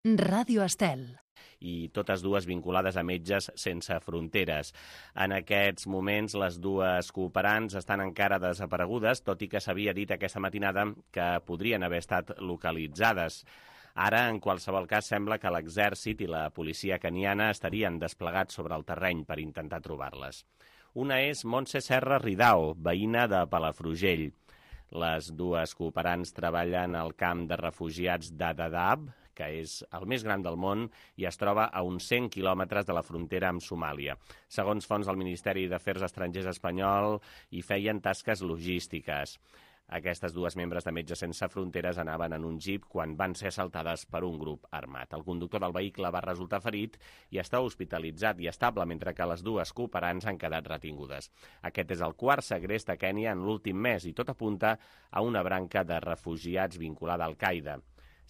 Ràdio Estel. I totes dues vinculades a Metges Sense Fronteres. En aquests moments, les dues cooperants estan encara desaparegudes, tot i que s'havia dit aquesta matinada que podrien haver estat localitzades. Ara, en qualsevol cas, sembla que l'exèrcit i la policia keniana estarien desplegats sobre el terreny per intentar trobar-les. Una és Montse Serra Ridao, veïna de Palafrugell. Les dues cooperants treballen al camp de refugiats d'Dadaab, que és el més gran del món i es troba a uns 100 quilòmetres de la frontera amb Somàlia. Segons fonts del Ministeri d'Afers Estrangers espanyol, hi feien tasques logístiques. Aquestes dues membres de Metges Sense Fronteres anaven en un jeep quan van ser assaltades per un grup armat. El conductor del vehicle va resultar ferit i està hospitalitzat i estable, mentre que les dues cooperants han quedat retingudes. Aquest és el quart segrest a Kènia en l'últim mes i tot apunta a una branca de refugiats vinculada a Al-Qaeda.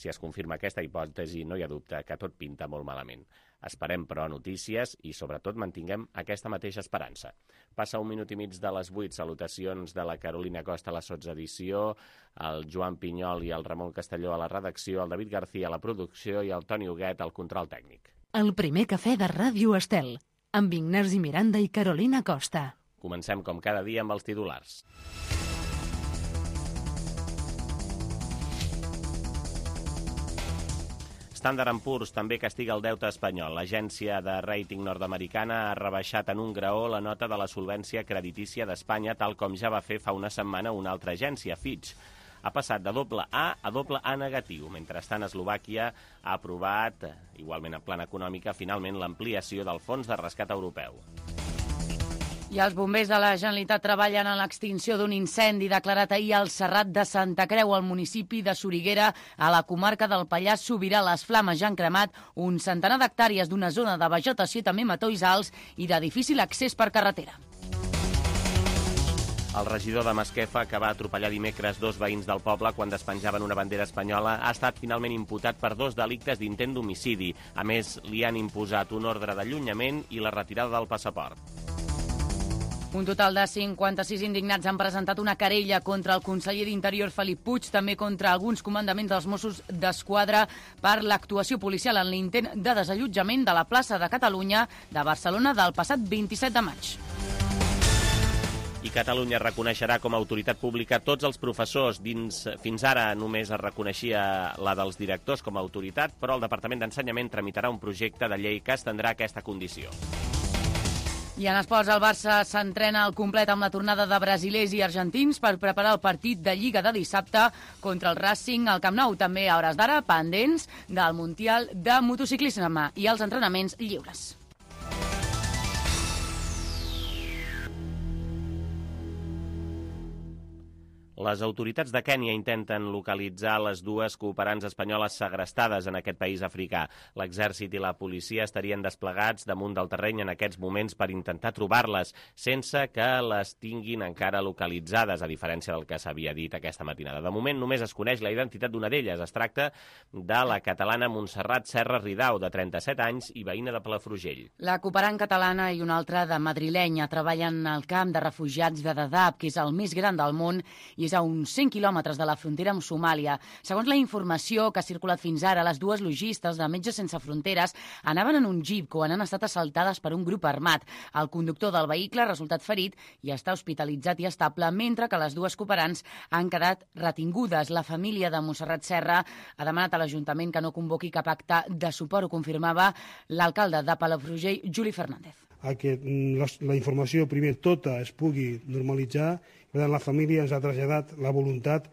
Si es confirma aquesta hipòtesi, no hi ha dubte que tot pinta molt malament. Esperem, però, notícies i, sobretot, mantinguem aquesta mateixa esperança. Passa 1 minut i mig de les 8. Salutacions de la Carolina Costa a la sotsedició, el Joan Pinyol i el Ramon Castelló a la redacció, el David García a la producció i el Toni Huguet al control tècnic. El primer cafè de Ràdio Estel, amb Ignasi Miranda i Carolina Costa. Comencem, com cada dia, amb els titulars. Standard & Poor's també castiga el deute espanyol. L'agència de rating nord-americana ha rebaixat en un graó la nota de la solvència creditícia d'Espanya, tal com ja va fer fa una setmana una altra agència, Fitch. Ha passat de AA a AA negatiu. Mentrestant, Eslovàquia ha aprovat, igualment en plan econòmica, finalment l'ampliació del Fons de Rescat Europeu. I els bombers de la Generalitat treballen en l'extinció d'un incendi declarat ahir al Serrat de Santa Creu, al municipi de Soriguera, a la comarca del Pallars Sobirà. Les flames ja han cremat un centenar d'hectàrees d'una zona de vegetació i també matolls alts i de difícil accés per carretera. El regidor de Masquefa, que va atropellar dimecres 2 veïns del poble quan despenjaven una bandera espanyola, ha estat finalment imputat per 2 delictes d'intent d'homicidi. A més, li han imposat un ordre d'allunyament i la retirada del passaport. Un total de 56 indignats han presentat una querella contra el conseller d'Interior Felip Puig, també contra alguns comandaments dels Mossos d'Esquadra per l'actuació policial en l'intent de desallotjament de la plaça de Catalunya de Barcelona del passat 27 de maig. I Catalunya reconeixerà com a autoritat pública tots els professors. Fins ara només es reconeixia la dels directors com a autoritat, però el Departament d'Ensenyament tramitarà un projecte de llei que estendrà aquesta condició. I en esports, el Barça s'entrena al complet amb la tornada de brasilers i argentins per preparar el partit de Lliga de dissabte contra el Racing al Camp Nou. També a hores d'ara pendents del Mundial de Motociclisme i els entrenaments lliures. Les autoritats de Kènia intenten localitzar les dues cooperants espanyoles segrestades en aquest país africà. L'exèrcit i la policia estarien desplegats damunt del terreny en aquests moments per intentar trobar-les, sense que les tinguin encara localitzades, a diferència del que s'havia dit aquesta matinada. De moment només es coneix la identitat d'una d'elles. Es tracta de la catalana Montserrat Serra Ridao, de 37 anys i veïna de Palafrugell. La cooperant catalana i una altra de madrilenya treballen al camp de refugiats de Dadaab, que és el més gran del món i és a uns 100 quilòmetres de la frontera amb Somàlia. Segons la informació que ha circulat fins ara, les dues logistes de Metges Sense Fronteres anaven en un jeep quan han estat assaltades per un grup armat. El conductor del vehicle ha resultat ferit i està hospitalitzat i estable, mentre que les dues cooperants han quedat retingudes. La família de Montserrat Serra ha demanat a l'Ajuntament que no convoqui cap acte de suport, ho confirmava l'alcalde de Palafrugell, Juli Fernández. Que la informació primer tota es pugui normalitzar. Per tant, la família ens ha traslladat la voluntat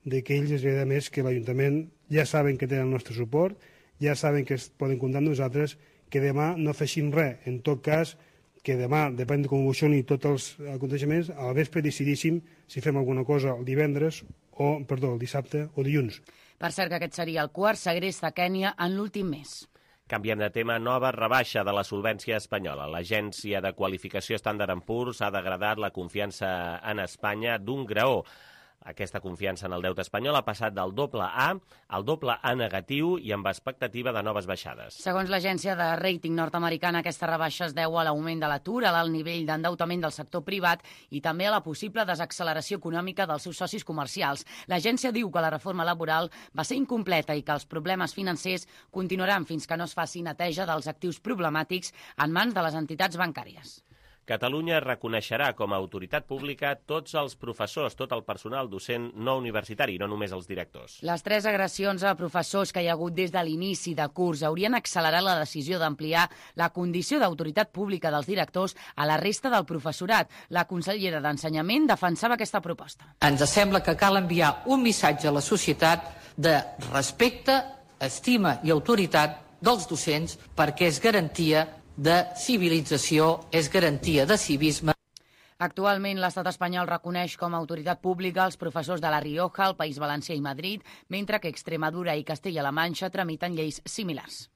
de que ells, a més, que l'Ajuntament ja saben que tenen el nostre suport, ja saben que poden comptar amb nosaltres, que demà no fessin res. En tot cas, que demà, depèn de com evolucioni tots els aconteixements, al vespre decidíssim si fem alguna cosa el dissabte o dilluns. Per cert, que aquest seria el quart segrest a Kènia en l'últim mes. Canviem de tema. Nova rebaixa de la solvència espanyola. L'agència de qualificació Standard & Poor's ha degradat la confiança en Espanya d'un graó. Aquesta confiança en el deute espanyol ha passat del doble A al doble A negatiu i amb expectativa de noves baixades. Segons l'agència de rating nord-americana, aquesta rebaixa es deu a l'augment de l'atur, a l'alt nivell d'endeutament del sector privat i també a la possible desacceleració econòmica dels seus socis comercials. L'agència diu que la reforma laboral va ser incompleta i que els problemes financers continuaran fins que no es faci neteja dels actius problemàtics en mans de les entitats bancàries. Catalunya reconeixerà com a autoritat pública tots els professors, tot el personal docent no universitari, no només els directors. Les 3 agressions a professors que hi ha hagut des de l'inici de curs haurien accelerat la decisió d'ampliar la condició d'autoritat pública dels directors a la resta del professorat. La consellera d'Ensenyament defensava aquesta proposta. Ens sembla que cal enviar un missatge a la societat de respecte, estima i autoritat dels docents perquè és garantia de civilització, és garantia de civisme. Actualment, l'estat espanyol reconeix com a autoritat pública els professors de La Rioja, el País Valencià i Madrid, mentre que Extremadura i Castella-La Manxa tramiten lleis similars.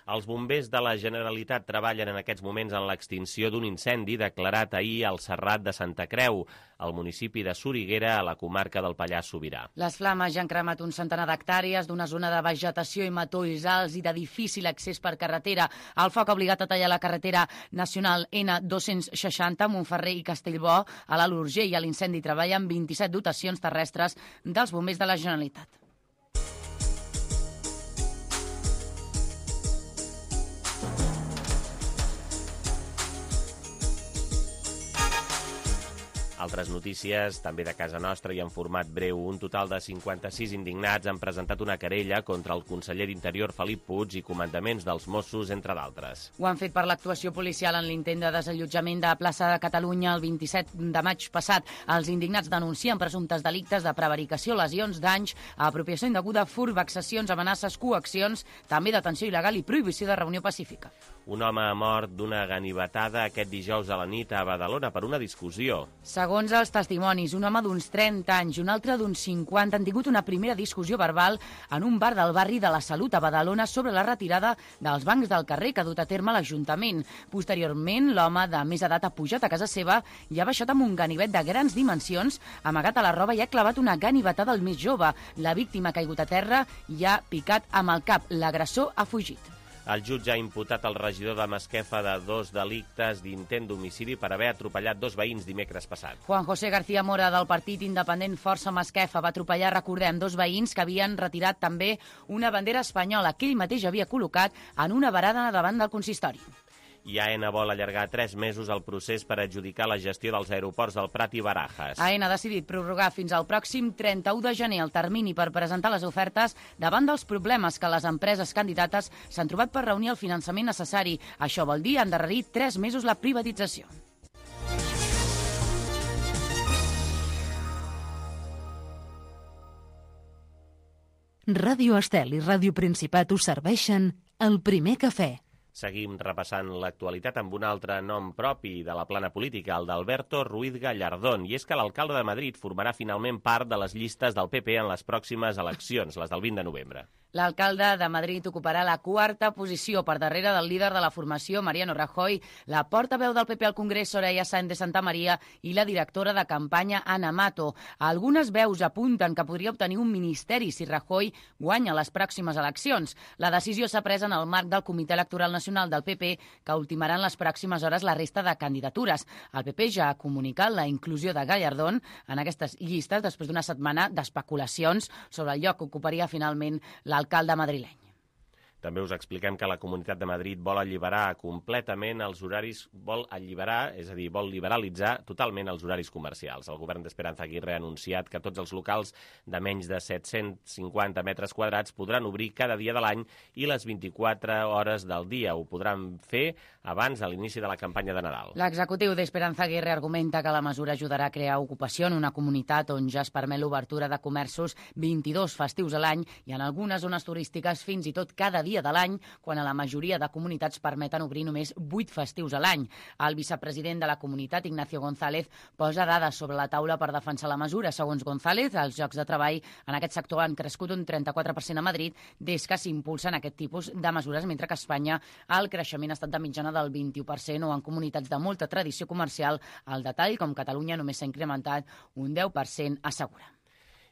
Els bombers de la Generalitat treballen en aquests moments en l'extinció d'un incendi declarat ahir al Serrat de Santa Creu, al municipi de Soriguera, a la comarca del Pallars Sobirà. Les flames ja han cremat un centenar d'hectàrees d'una zona de vegetació i matolls alts i de difícil accés per carretera. El foc ha obligat a tallar la carretera nacional N260, Montferrer i Castellbò, a l'Alt Urgell. A l'incendi treballen 27 dotacions terrestres dels bombers de la Generalitat. Altres notícies, també de casa nostra i en format breu. Un total de 56 indignats han presentat una querella contra el conseller d'Interior Felip Puig i comandaments dels Mossos, entre d'altres. Ho han fet per l'actuació policial en l'intent de desallotjament de plaça de Catalunya el 27 de maig passat. Els indignats denuncien presumptes delictes de prevaricació, lesions, danys, apropiació indeguda, furt, vexacions, amenaces, coaccions, també detenció il·legal i prohibició de reunió pacífica. Un home ha mort d'una ganivetada aquest dijous a la nit a Badalona per una discussió. Segons els testimonis, un home d'uns 30 anys i un altre d'uns 50 han tingut una primera discussió verbal en un bar del barri de la Salut a Badalona sobre la retirada dels bancs del carrer que ha dut a terme l'Ajuntament. Posteriorment, l'home de més edat ha pujat a casa seva i ha baixat amb un ganivet de grans dimensions, amagat a la roba i ha clavat una ganivetada al més jove. La víctima ha caigut a terra i ha picat amb el cap. L'agressor ha fugit. El jutge ha imputat al regidor de Masquefa de 2 delictes d'intent d'homicidi per haver atropellat 2 veïns dimecres passat. Juan José García Mora, del partit independent Força Masquefa, va atropellar, recordem, 2 veïns que havien retirat també una bandera espanyola que ell mateix havia col·locat en una varada davant del consistori. I AENA vol allargar 3 mesos el procés per adjudicar la gestió dels aeroports del Prat i Barajas. AENA ha decidit prorrogar fins al pròxim 31 de gener el termini per presentar les ofertes davant dels problemes que les empreses candidates s'han trobat per reunir el finançament necessari. Això vol dir endarrerir 3 mesos la privatització. Ràdio Estel i Ràdio Principat us serveixen el primer cafè. Seguim repassant l'actualitat amb un altre nom propi de la plana política, el d'Alberto Ruiz Gallardón, i és que l'alcalde de Madrid formarà finalment part de les llistes del PP en les pròximes eleccions, les del 20 de novembre. L'alcalde de Madrid ocuparà la 4a posició per darrere del líder de la formació, Mariano Rajoy, la portaveu del PP al Congrés, Soraya Sáenz de Santamaría, i la directora de campanya, Ana Mato. Algunes veus apunten que podria obtenir un ministeri si Rajoy guanya les pròximes eleccions. La decisió s'ha pres en el marc del Comitè Electoral Nacional del PP, que ultimarà en les pròximes hores la resta de candidatures. El PP ja ha comunicat la inclusió de Gallardón en aquestes llistes després d'una setmana d'especulacions sobre el lloc que ocuparia finalment l'alcalde madrileny. També us expliquem que la Comunitat de Madrid vol alliberar completament els horaris, vol liberalitzar totalment els horaris comercials. El govern d'Esperanza Aguirre ha anunciat que tots els locals de menys de 750 metres quadrats podran obrir cada dia de l'any i les 24 hores del dia. Ho podran fer abans de l'inici de la campanya de Nadal. L'executiu d'Esperanza Aguirre argumenta que la mesura ajudarà a crear ocupació en una comunitat on ja es permet l'obertura de comerços 22 festius a l'any i en algunes zones turístiques fins i tot cada dia de l'any, quan a la majoria de comunitats permeten obrir només 8 festius a l'any. El vicepresident de la comunitat, Ignacio González, posa dades sobre la taula per defensar la mesura. Segons González, els llocs de treball en aquest sector han crescut un 34% a Madrid des que s'impulsen aquest tipus de mesures, mentre que a Espanya el creixement ha estat de mitjana del 21% o en comunitats de molta tradició comercial. El detall, com Catalunya, només s'ha incrementat un 10%, assegura.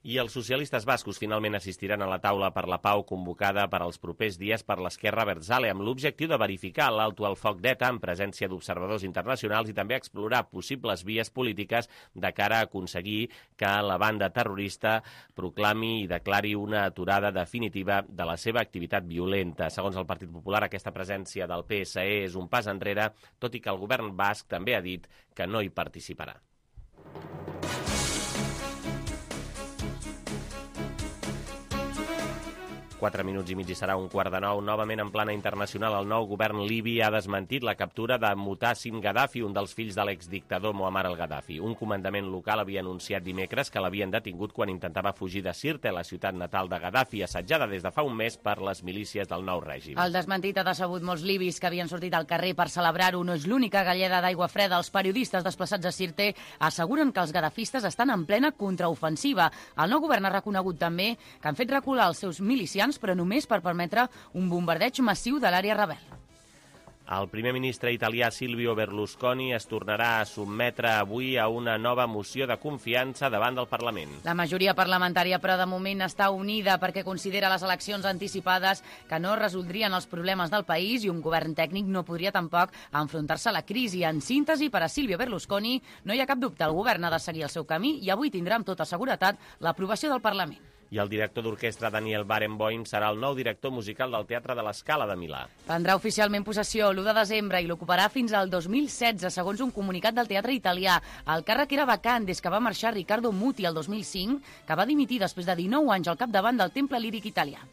I els socialistes bascos finalment assistiran a la taula per la pau convocada per als propers dies per l'Esquerra Abertzale amb l'objectiu de verificar l'alto al foc d'ETA en presència d'observadors internacionals i també explorar possibles vies polítiques de cara a aconseguir que la banda terrorista proclami i declari una aturada definitiva de la seva activitat violenta. Segons el Partit Popular, aquesta presència del PSE és un pas enrere, tot i que el govern basc també ha dit que no hi participarà. 4 minuts i mig i serà 8:45. Novament en plana internacional, el nou govern libi ha desmentit la captura de Mutassim Gaddafi, un dels fills de l'exdictador Muammar al-Gaddafi. Un comandament local havia anunciat dimecres que l'havien detingut quan intentava fugir de Sirte, la ciutat natal de Gaddafi, assetjada des de fa un mes per les milícies del nou règim. El desmentit ha decebut molts libis que havien sortit al carrer per celebrar-ho. No és l'única galleda d'aigua freda. Els periodistes desplaçats a Sirte asseguren que els gadafistes estan en plena contraofensiva. El nou govern ha reconegut també que han fet recular els seus milicians, però només per permetre un bombardeig massiu de l'àrea rebel. El primer ministre italià Silvio Berlusconi es tornarà a sotmetre avui a una nova moció de confiança davant del Parlament. La majoria parlamentària, però de moment està unida perquè considera les eleccions anticipades que no resoldrien els problemes del país i un govern tècnic no podria tampoc enfrontar-se a la crisi. En síntesi, per a Silvio Berlusconi no hi ha cap dubte, el govern ha de seguir el seu camí i avui tindrà amb tota seguretat l'aprovació del Parlament. I el director d'orquestra Daniel Barenboim serà el nou director musical del Teatre de la Scala de Milà. Prendrà oficialment possessió l'1 de desembre i l'ocuparà fins al 2016, segons un comunicat del teatre italià. El càrrec era vacant des que va marxar Riccardo Muti el 2005, que va dimitir després de 19 anys al capdavant del Temple Líric Italià.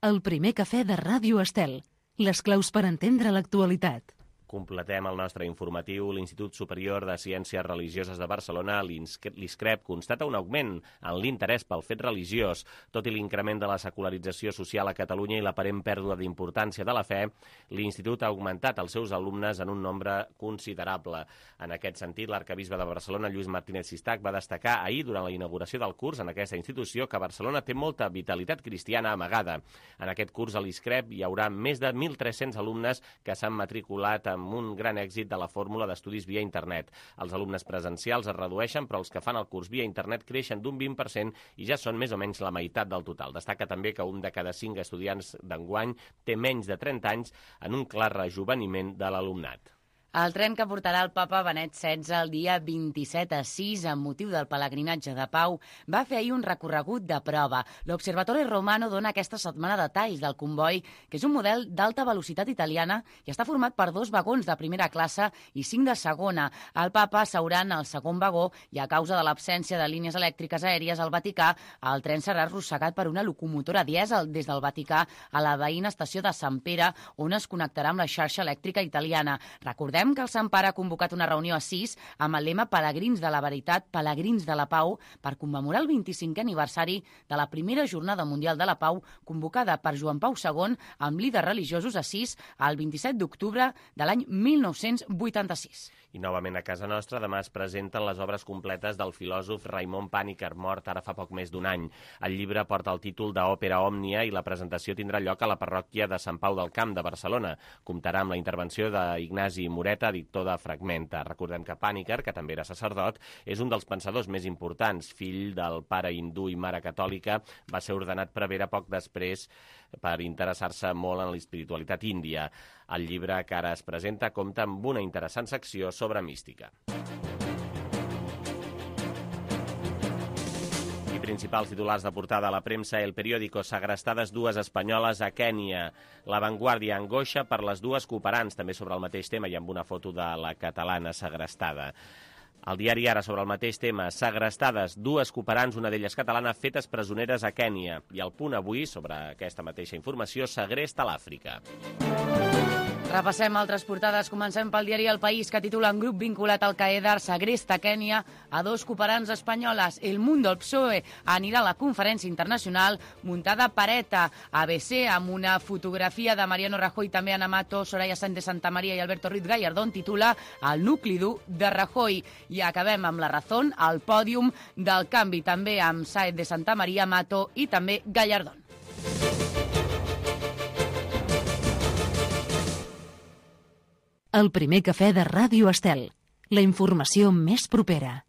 El primer cafè de Ràdio Estel. Les claus per entendre l'actualitat. Completem el nostre informatiu. L'Institut Superior de Ciències Religioses de Barcelona, l'ISCREP, constata un augment en l'interès pel fet religiós. Tot i l'increment de la secularització social a Catalunya i l'aparent pèrdua d'importància de la fe, l'Institut ha augmentat els seus alumnes en un nombre considerable. En aquest sentit, l'arcabisbe de Barcelona, Lluís Martínez Sistac, va destacar ahir, durant la inauguració del curs en aquesta institució, que Barcelona té molta vitalitat cristiana amagada. En aquest curs a l'ISCREP hi haurà més de 1.300 alumnes que s'han matriculat amb un gran èxit de la fórmula d'estudis via internet. Els alumnes presencials es redueixen, però els que fan el curs via internet creixen d'un 20% i ja són més o menys la meitat del total. Destaca també que un de cada 5 estudiants d'enguany té menys de 30 anys, en un clar rejoveniment de l'alumnat. El tren que portarà el papa Benet XVI el dia 27 a 6 amb motiu del pelegrinatge de Pau va fer ahir un recorregut de prova. L'Observatorio Romano dona aquesta setmana detalls del comboi, que és un model d'alta velocitat italiana i està format per 2 vagons de primera classe i 5 de segona. El papa seurà en el segon vagó i a causa de l'absència de línies elèctriques aèries al Vaticà, el tren serà arrossegat per una locomotora dièsel des del Vaticà a la veïna estació de Sant Pere, on es connectarà amb la xarxa elèctrica italiana. Recordem que el Sant Pare ha convocat una reunió a 6 amb el lema Pelegrins de la Veritat, Pelegrins de la Pau, per commemorar el 25è aniversari de la primera Jornada Mundial de la Pau, convocada per Joan Pau II amb líders religiosos a 6 el 27 d'octubre de l'any 1986. I novament a casa nostra, demà es presenten les obres completes del filòsof Raimon Pàniker, mort ara fa poc més d'un any. El llibre porta el títol d'Òpera Òmnia i la presentació tindrà lloc a la parròquia de Sant Pau del Camp de Barcelona. Comptarà amb la intervenció d'Ignasi Moreta, editor de Fragmenta. Recordem que Pàniker, que també era sacerdot, és un dels pensadors més importants. Fill del pare hindú i mare catòlica, va ser ordenat prevere poc després per interessar-se molt en l'espiritualitat índia. El llibre que ara es presenta compta amb una interessant secció sobre mística. I principals titulars de portada a la premsa: El Periódico, segrestades 2 espanyoles a Kènia. La Vanguardia, angoixa per les 2 cooperants, també sobre el mateix tema i amb una foto de la catalana segrestada. El diari Ara, sobre el mateix tema, segrestades 2 cooperants, una d'elles catalana, fetes presoneres a Kènia. I el Punt avui, sobre aquesta mateixa informació, segresta a l'Àfrica. Repassem altres portades. Comencem pel diari El País, que titula: un grup vinculat al Qaeda segresta a Kènia a 2 cooperants espanyoles. El Mundo, el PSOE, anirà a la conferència internacional muntada per ETA. ABC, amb una fotografia de Mariano Rajoy, també Ana Mato, Soraya Sáenz de Santamaría i Alberto Ruiz Gallardón, titula El nucli dur de Rajoy. I acabem amb La Razón, al pòdium del canvi, també amb Sáenz de Santamaría, Mato i també Gallardón. El primer cafè de Ràdio Estel. La informació més propera.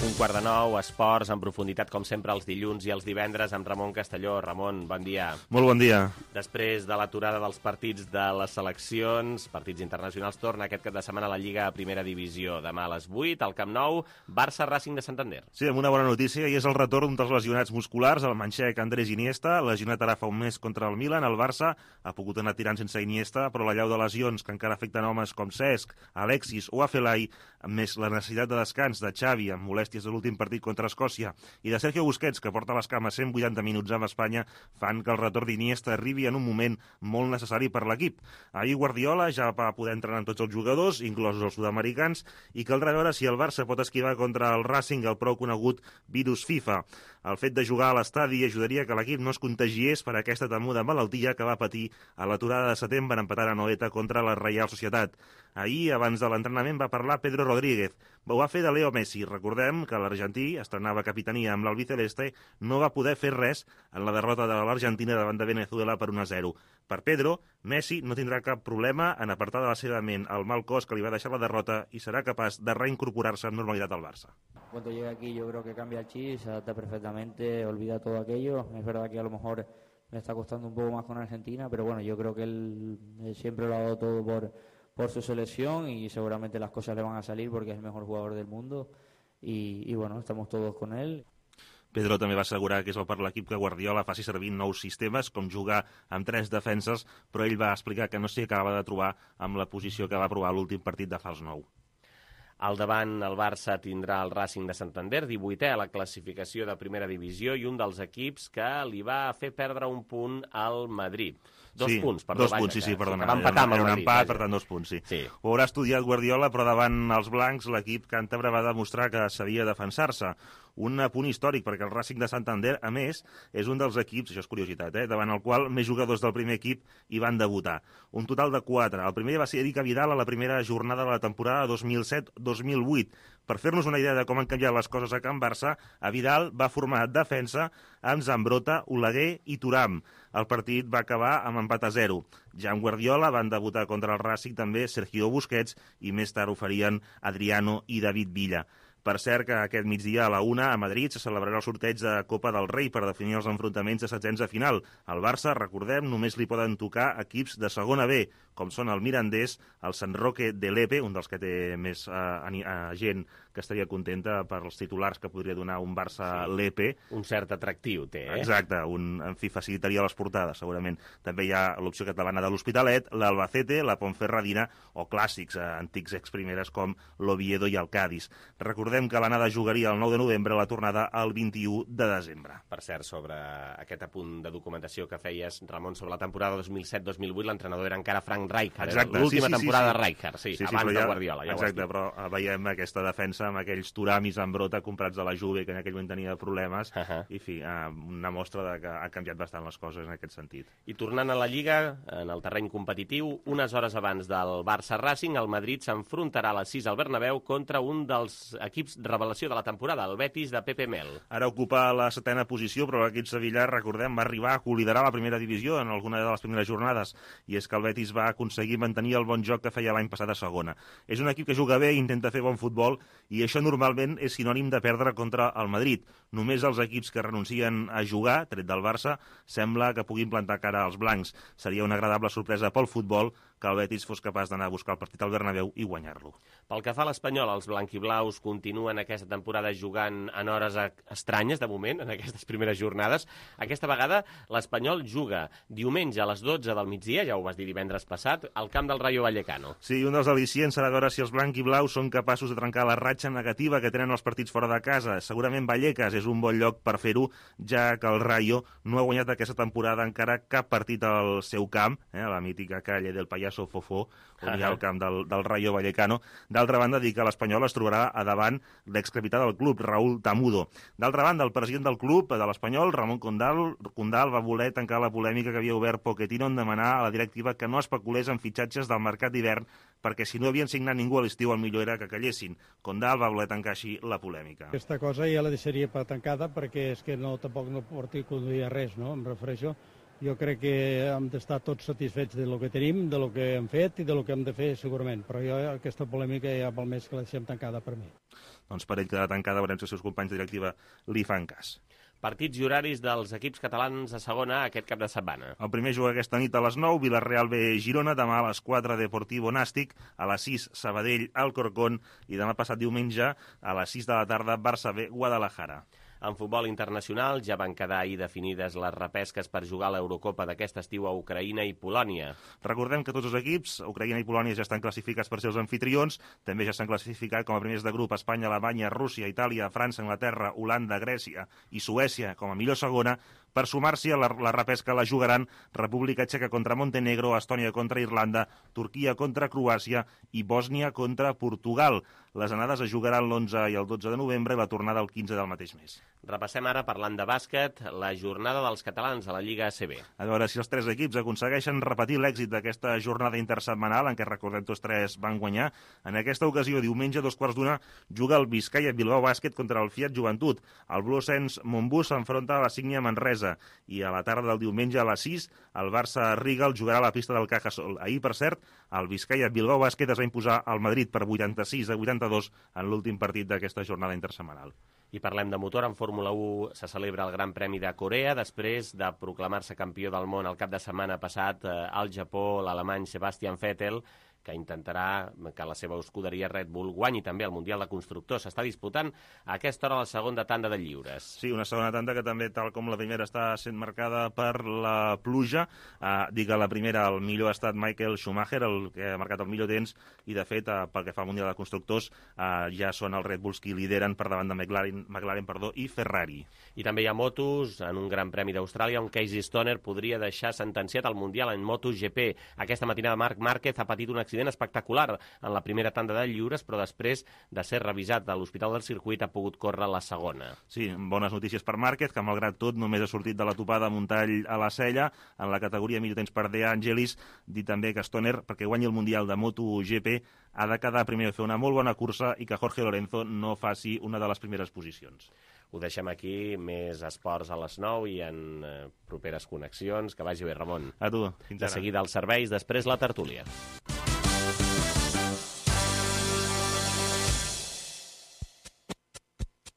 Un quart de nou, esports en profunditat, com sempre, els dilluns i els divendres amb Ramon Castelló. Ramon, bon dia. Molt bon dia. Després de l'aturada dels partits de les seleccions, partits internacionals, torna aquest cap de setmana a la Lliga a Primera Divisió. Demà a les 8, al Camp Nou, Barça-Racing de Santander. Sí, amb una bona notícia, i és el retorn dels lesionats musculars, el manxec Andrés Iniesta, lesionat ara fa un mes contra el Milan. El Barça ha pogut anar tirant sense Iniesta, però la llau de lesions que encara afecten homes com Cesc, Alexis o Afelai, més la necessitat de descans de Xavi amb molèsties de l'últim partit contra Escòcia i de Sergio Busquets, que porta les cames 180 minuts amb Espanya, fan que el retorn d'Iniesta arribi en un moment molt necessari per l'equip. Ahir Guardiola ja va poder entrenar amb tots els jugadors, inclosos els sud-americans, i caldrà veure si el Barça pot esquivar contra el Racing el prou conegut virus FIFA. El fet de jugar a l'estadi ajudaria que l'equip no es contagiés per aquesta temuda malaltia que va patir a l'aturada de setembre empatant a Noeta contra la Reial Societat. Ahir, abans de l'entrenament, va parlar Pedro Rodríguez. Ho va fer de Leo Messi. Recordem que l'argentí estrenava capitania amb l'albiceleste, no va poder fer res en la derrota de l'Argentina davant de Venezuela per 1-0. Per Pedro, Messi no tindrà cap problema en apartar de la seva ment el mal cos que li va deixar la derrota i serà capaç de reincorporar-se amb normalitat al Barça. Cuando llegue aquí yo creo que cambia el chip, se adapta perfectamente, olvida todo aquello. Es verdad que a lo mejor me está costando un poco más con Argentina, pero bueno, yo creo que él siempre lo ha dado todo por su selección y seguramente las cosas le van a salir porque es el mejor jugador del mundo y bueno, estamos todos con él. Pedro també va assegurar que és el per l'equip que Guardiola faci servir nous sistemes, com jugar amb 3 defenses, però ell va explicar que no s'hi acabava de trobar amb la posició que va provar l'últim partit de fals 9. Al davant, el Barça tindrà el Racing de Santander, 18è a la classificació de Primera Divisió i un dels equips que li va fer perdre un punt al Madrid. Dos punts, perdó. 2 punts, sí, perdona. Va empatar amb el Madrid. Era un empat, vaja. per tant 2 punts, sí. Sí. Ho haurà estudiat Guardiola, però davant els blancs l'equip càntabre va demostrar que sabia defensar-se. Un punt històric, perquè el Racing de Santander, a més, és un dels equips, això és curiositat, davant el qual més jugadors del primer equip hi van debutar. Un total de 4. El primer va ser Eric Vidal a la primera jornada de la temporada 2007-2008. Per fer-nos una idea de com han canviat les coses a Can Barça, a Vidal va formar defensa amb Zambrota, Oleguer i Thuram. El partit va acabar amb empat a 0. Ja amb Guardiola van debutar contra el Racing també Sergio Busquets i més tard ho farien Adriano i David Villa. Per cert que aquest migdia a la 1 a Madrid se celebrarà el sorteig de Copa del Rei per definir els enfrontaments de setzents de final. Al Barça, recordem, només li poden tocar equips de segona B, com són el Mirandés, el Sant Roque de Lepe, un dels que té més gent que estaria contenta per els titulars que podria donar un Barça-Lepe. Un cert atractiu té, Exacte, en fi, facilitaria les portades, segurament. També hi ha l'opció catalana de l'Hospitalet, l'Albacete, la Ponferradina o clàssics, antics exprimeres com l'Oviedo i el Cádiz. Recordem que l'anada jugaria el 9 de novembre, la tornada el 21 de desembre. Per cert, sobre aquest apunt de documentació que feies, Ramon, sobre la temporada 2007-2008, l'entrenador era encara Frank Rijkaard. L'última temporada de Rijkaard, abans de Guardiola. Ja exacte, però veiem aquesta defensa amb aquells Thuram i Zambrota comprats de la Juve, que en aquell moment tenia problemes, i fi, una mostra de que ha canviat bastant les coses en aquest sentit. I tornant a la Lliga, en el terreny competitiu, unes hores abans del Barça-Racing, el Madrid s'enfrontarà a les 6 al Bernabéu contra un dels equips revelació de la temporada, el Betis de Pepe Mel. Ara ocupa la 7a posició, però l'equip sevillà, recordem, va arribar a coliderar la primera divisió en alguna de les primeres jornades, i és que el Betis va aconseguir mantenir el bon joc que feia l'any passat a segona. És un equip que juga bé i intenta fer bon futbol, i això normalment és sinònim de perdre contra el Madrid. Només els equips que renuncien a jugar, tret del Barça, sembla que puguin plantar cara als blancs. Seria una agradable sorpresa pel futbol que el Betis fos capaç d'anar a buscar el partit al Bernabéu i guanyar-lo. Pel que fa a l'Espanyol, els blanquiblaus continuen aquesta temporada jugant en hores estranyes, de moment, en aquestes primeres jornades. Aquesta vegada l'Espanyol juga diumenge a les 12 del migdia, ja ho vas dir divendres passat, al camp del Rayo Vallecano. Sí, un dels al·licients serà veure si els blanquiblaus són capaços de trencar la ratxa negativa que tenen els partits fora de casa. Segurament Vallecas és un bon lloc per fer-ho, ja que el Rayo no ha guanyat aquesta temporada encara cap partit al seu camp, a la mítica calle del Pallars Sofofó, on hi ha el camp del Rayo Vallecano. D'altra banda, dir que l'Espanyol es trobarà a davant l'excapità del club, Raúl Tamudo. D'altra banda, el president del club, de l'Espanyol, Ramon Condal, va voler tancar la polèmica que havia obert Pochettino en demanar a la directiva que no especulés en fitxatges del mercat d'hivern, perquè si no havien signat ningú a l'estiu, el millor era que callessin. Condal va voler tancar així la polèmica. Aquesta cosa ja la deixaria per tancada perquè és que tampoc no porti a conduir res, no? Em refereixo. Jo crec que hem d'estar tots satisfets de lo que tenim, de lo que hem fet i de lo que hem de fer segurament, però jo aquesta polèmica ja val més que la deixem tancada per mi. Doncs per ell quedarà tancada, veurem si els seus companys de directiva li fan cas. Partits i horaris dels equips catalans a segona aquest cap de setmana. El primer juga aquesta nit a les 9, Villarreal B Girona, demà a les 4 Deportivo Nàstic, a les 6 Sabadell Alcorcón i demà passat diumenge a les 6 de la tarda Barça B Guadalajara. En futbol internacional ja van quedar ahir definides les repesques per jugar a l'Eurocopa d'aquest estiu a Ucraïna i Polònia. Recordem que tots els equips, Ucraïna i Polònia, ja estan classificats per ser els anfitrions, també ja s'han classificat com a primers de grup Espanya, Alemanya, Rússia, Itàlia, França, Anglaterra, Holanda, Grècia i Suècia com a millor segona. Per sumar-s'hi a la repesca la jugaran República Txeca contra Montenegro, Estònia contra Irlanda, Turquia contra Croàcia i Bòsnia contra Portugal. Les anades es jugaran l'11 i el 12 de novembre i la tornada el 15 del mateix mes. Repassem ara, parlant de bàsquet, la jornada dels catalans a la Lliga ACB. A veure si els tres equips aconsegueixen repetir l'èxit d'aquesta jornada intersetmanal en què, recordem, tots tres van guanyar. En aquesta ocasió, diumenge, a 2:15, juga el Vizcaya Bilbao Bàsquet contra el Fiat Joventut. El Bluesens Montbus s'enfronta a la Sígnia Manresa i a la tarda del diumenge a les 6 el Barça Rigal jugarà a la pista del Cajasol. Ahir, per cert, el Vizcaya Bilbao Bàsquet es va imposar al Madrid per 86-82 en l'últim partit d'aquesta jornada intersetmanal. I parlem de motor. En Fórmula 1 se celebra el Gran Premi de Corea després de proclamar-se campió del món el cap de setmana passat al Japó l'alemany Sebastian Vettel, que intentarà que la seva escuderia Red Bull guanyi també el Mundial de Constructors. S'està disputant a aquesta hora la segona tanda de lliures. Sí, una segona tanda que també, tal com la primera, està sent marcada per la pluja. Dic que la primera el millor ha estat Michael Schumacher, el que ha marcat el millor temps, i de fet, pel que fa al Mundial de Constructors, ja són els Red Bulls qui lideren per davant de McLaren i Ferrari. I també hi ha motos en un Gran Premi d'Austràlia on Casey Stoner podria deixar sentenciat el Mundial en MotoGP. Aquesta matinada Marc Márquez ha patit un accident espectacular en la primera tanda de lliures, però després de ser revisat a l'Hospital del Circuit ha pogut córrer la segona. Sí, bones notícies per Márquez, que malgrat tot només ha sortit de la topada amb un tall a la cella. En la categoria millor temps per De Angelis, dir també que Stoner, perquè guanyi el Mundial de MotoGP, ha de quedar primer a fer una molt bona cursa i que Jorge Lorenzo no faci una de les primeres posicions. Ho deixem aquí, més esports a les 9 i en properes connexions. Que vagi bé, Ramon. A tu, fins ara. De seguida els serveis, després la tertúlia.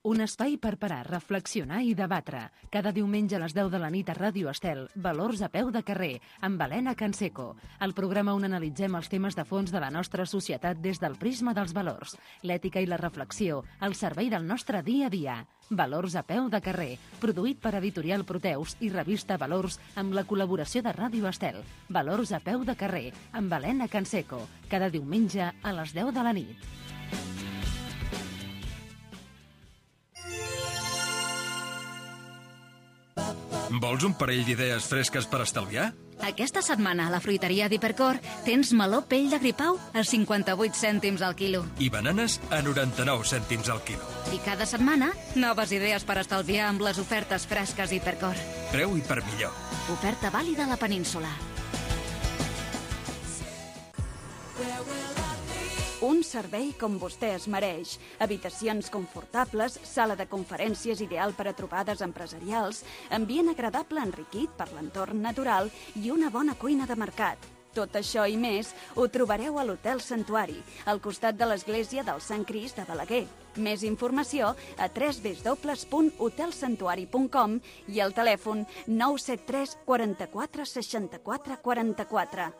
Un espai per parar, reflexionar i debatre. Cada diumenge a les 10 de la nit a Ràdio Estel, Valors a peu de carrer, amb Helena Canseco. El programa on analitzem els temes de fons de la nostra societat des del prisma dels valors, l'ètica i la reflexió, al servei del nostre dia a dia. Valors a peu de carrer, produït per Editorial Proteus i revista Valors amb la col·laboració de Ràdio Estel. Valors a peu de carrer, amb Helena Canseco, cada diumenge a les 10 de la nit. Vols un parell d'idees fresques per estalviar? Aquesta setmana a la fruiteria d'Hipercor tens meló pell de gripau a 58 cèntims al quilo. I bananes a 99 cèntims al quilo. I cada setmana, noves idees per estalviar amb les ofertes fresques Hipercor. Preu i per millor. Oferta vàlida a la península. Un servei com vostè es mereix. Habitacions confortables, sala de conferències ideal per a trobades empresarials, ambient agradable enriquit per l'entorn natural i una bona cuina de mercat. Tot això i més ho trobareu a l'Hotel Santuari, al costat de l'església del Sant Crist de Balaguer. Més informació a www.hotelsantuari.com i al telèfon 973 44 64 44.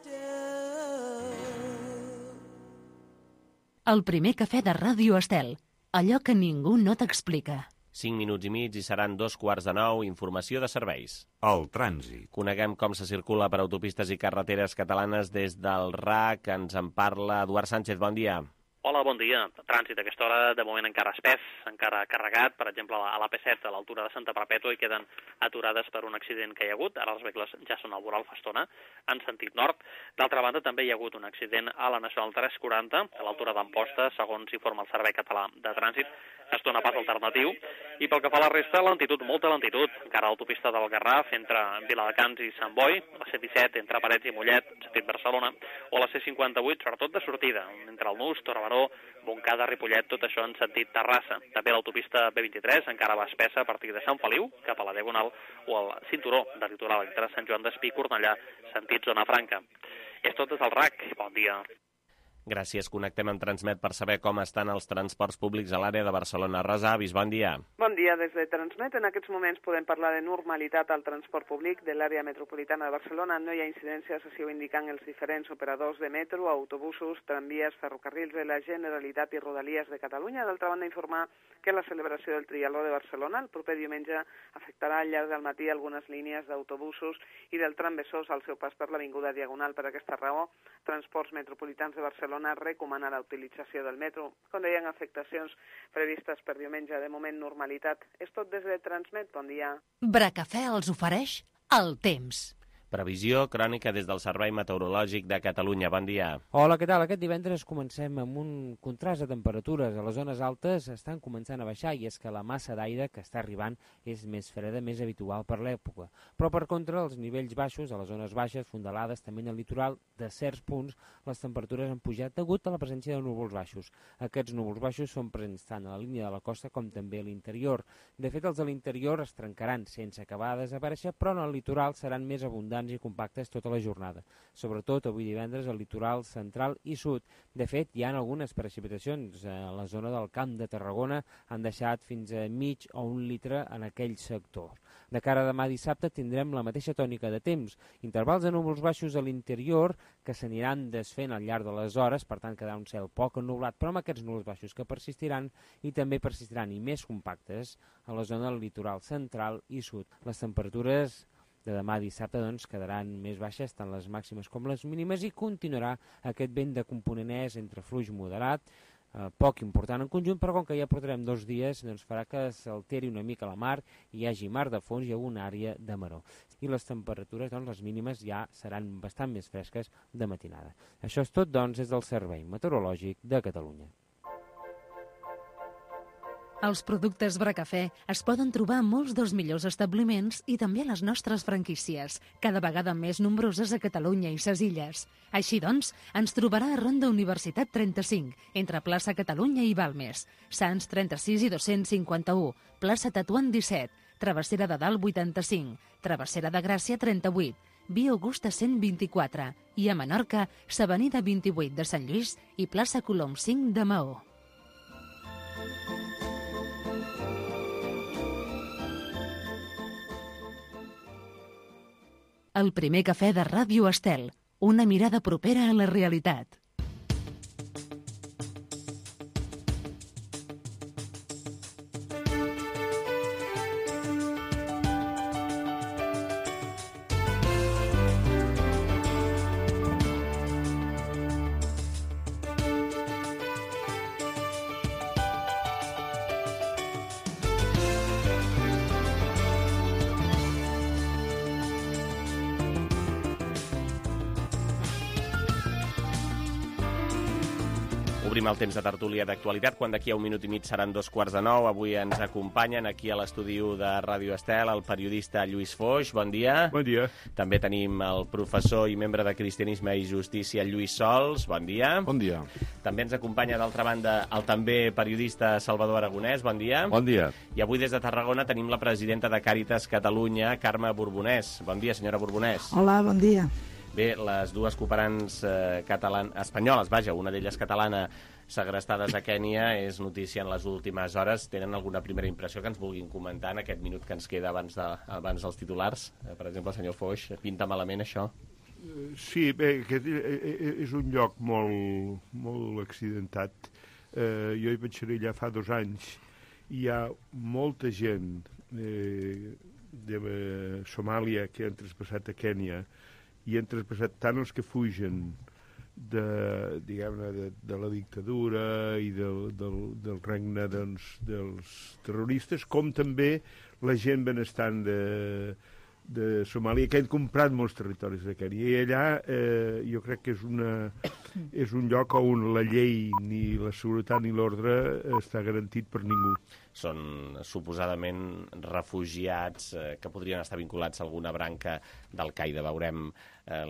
El primer cafè de Ràdio Estel, allò que ningú no t'explica. 5 minuts i mig i seran 8:45, informació de serveis. El trànsit. Coneguem com se circula per autopistes i carreteres catalanes des del RAC. Ens en parla Eduard Sánchez, bon dia. Hola, bon dia. Trànsit a aquesta hora de moment encara espès, encara carregat. Per exemple, a l'AP7, a l'altura de Santa Perpètua, hi queden aturades per un accident que hi ha hagut. Ara els vehicles ja són al voral fa estona, en sentit nord. D'altra banda, també hi ha hagut un accident a la Nacional 340, a l'altura d'Amposta, segons informa el Servei Català de Trànsit. Es dona pas alternatiu. I pel que fa a la resta, lentitud, molta lentitud. Encara a l'autopista del Garraf, entre Viladecans i Sant Boi, la C-17 entre Parets i Mollet, sentit Barcelona, o la C-58, sobretot de sortida, entre el Nus, Torre Baró, Montcada, Ripollet, tot això en sentit Terrassa. També l'autopista B23 encara va espessa a partir de Sant Feliu, cap a la Diagonal, o el cinturó de litoral entre Sant Joan d'Espí i Cornellà, sentit Zona Franca. És tot des del RAC. Bon dia. Gràcies. Connectem amb Transmet per saber com estan els transports públics a l'àrea de Barcelona. Rosa Avis, bon dia. Bon dia. Des de Transmet, en aquests moments podem parlar de normalitat al transport públic de l'àrea metropolitana de Barcelona. No hi ha incidències, així ho indiquen els diferents operadors de metro, autobusos, tramvies, ferrocarrils de la Generalitat i Rodalies de Catalunya. D'altra banda, informar que la celebració del Triatló de Barcelona el proper diumenge afectarà al llarg del matí algunes línies d'autobusos i del tram Besòs al seu pas per l'Avinguda Diagonal. Per aquesta raó, Transports Metropolitans de Barcelona recomana la utilització del metro. Quan hi ha afectacions previstes per diumenge, de moment normalitat. És tot des de Transmet. Bon dia. Bracafè els ofereix el temps. Previsió crònica des del Servei Meteorològic de Catalunya. Bon dia. Hola, què tal? Aquest divendres comencem amb un contrast de temperatures. A les zones altes estan començant a baixar i és que la massa d'aire que està arribant és més freda, més habitual per l'època. Però, per contra, els nivells baixos, a les zones baixes, fondalades, també en el litoral, de certs punts, les temperatures han pujat degut a la presència de núvols baixos. Aquests núvols baixos són presents tant a la línia de la costa com també a l'interior. De fet, els de l'interior es trencaran sense acabar de desaparèixer, però en el litoral seran més abundants i compactes tota la jornada. Sobretot avui divendres al litoral central i sud. De fet, hi ha algunes precipitacions. A la zona del Camp de Tarragona han deixat fins a mig o 1 litre en aquell sector. De cara a demà dissabte tindrem la mateixa tònica de temps. Intervals de núvols baixos a l'interior que s'aniran desfent al llarg de les hores, per tant quedarà un cel poc ennublat, però amb aquests núvols baixos que persistiran i també persistiran i més compactes a la zona del litoral central i sud. Les temperatures de demà dissabte quedaran més baixes, tant les màximes com les mínimes, i continuarà aquest vent de component est entre fluix moderat, poc important en conjunt, però com que ja portarem 2 dies, farà que s'alteri una mica la mar i hi hagi mar de fons i alguna àrea de maró. I les temperatures, les mínimes, ja seran bastant més fresques de matinada. Això és tot, des del Servei Meteorològic de Catalunya. Els productes Bracafè es poden trobar a molts dels millors establiments i també a les nostres franquícies, cada vegada més nombroses a Catalunya i ses illes. Així doncs, ens trobarà a Ronda Universitat 35, entre plaça Catalunya i Balmes, Sants 36 i 251, plaça Tatuant 17, Travessera de Dalt 85, Travessera de Gràcia 38, Via Augusta 124 i a Menorca, s'Avenida 28 de Sant Lluís i plaça Colom 5 de Maó. El primer cafè de Ràdio Estel, una mirada propera a la realitat. Obrim el temps de tertúlia d'actualitat, quan d'aquí a 1 minut i mig seran 8:45. Avui ens acompanyen aquí a l'estudi de Ràdio Estel el periodista Lluís Foix. Bon dia. Bon dia. També tenim el professor i membre de Cristianisme i Justícia Lluís Sols. Bon dia. Bon dia. També ens acompanya, d'altra banda, el també periodista Salvador Aragonès. Bon dia. Bon dia. I avui des de Tarragona tenim la presidenta de Càritas Catalunya, Carme Borbonès. Bon dia, senyora Borbonès. Hola, bon dia. Bé, les dues cooperants espanyoles, una d'elles catalana, segrestades a Kènia, és notícia en les últimes hores. Tenen alguna primera impressió que ens vulguin comentar en aquest minut que ens queda abans dels titulars? Per exemple, el senyor Foix, pinta malament això? Sí, bé, aquest és un lloc molt accidentat. Jo hi vaig ser allà fa 2 anys. Hi ha molta gent de Somàlia que han traspassat a Kènia i han traspassat tant els que fugen de la dictadura i del regne dels terroristes, com també la gent benestant de Somàlia, que han comprat molts territoris de Kènia. I allà jo crec que és un lloc on la llei, ni la seguretat ni l'ordre està garantit per ningú. Són suposadament refugiats que podrien estar vinculats a alguna branca d'Al-Qaeda. Veurem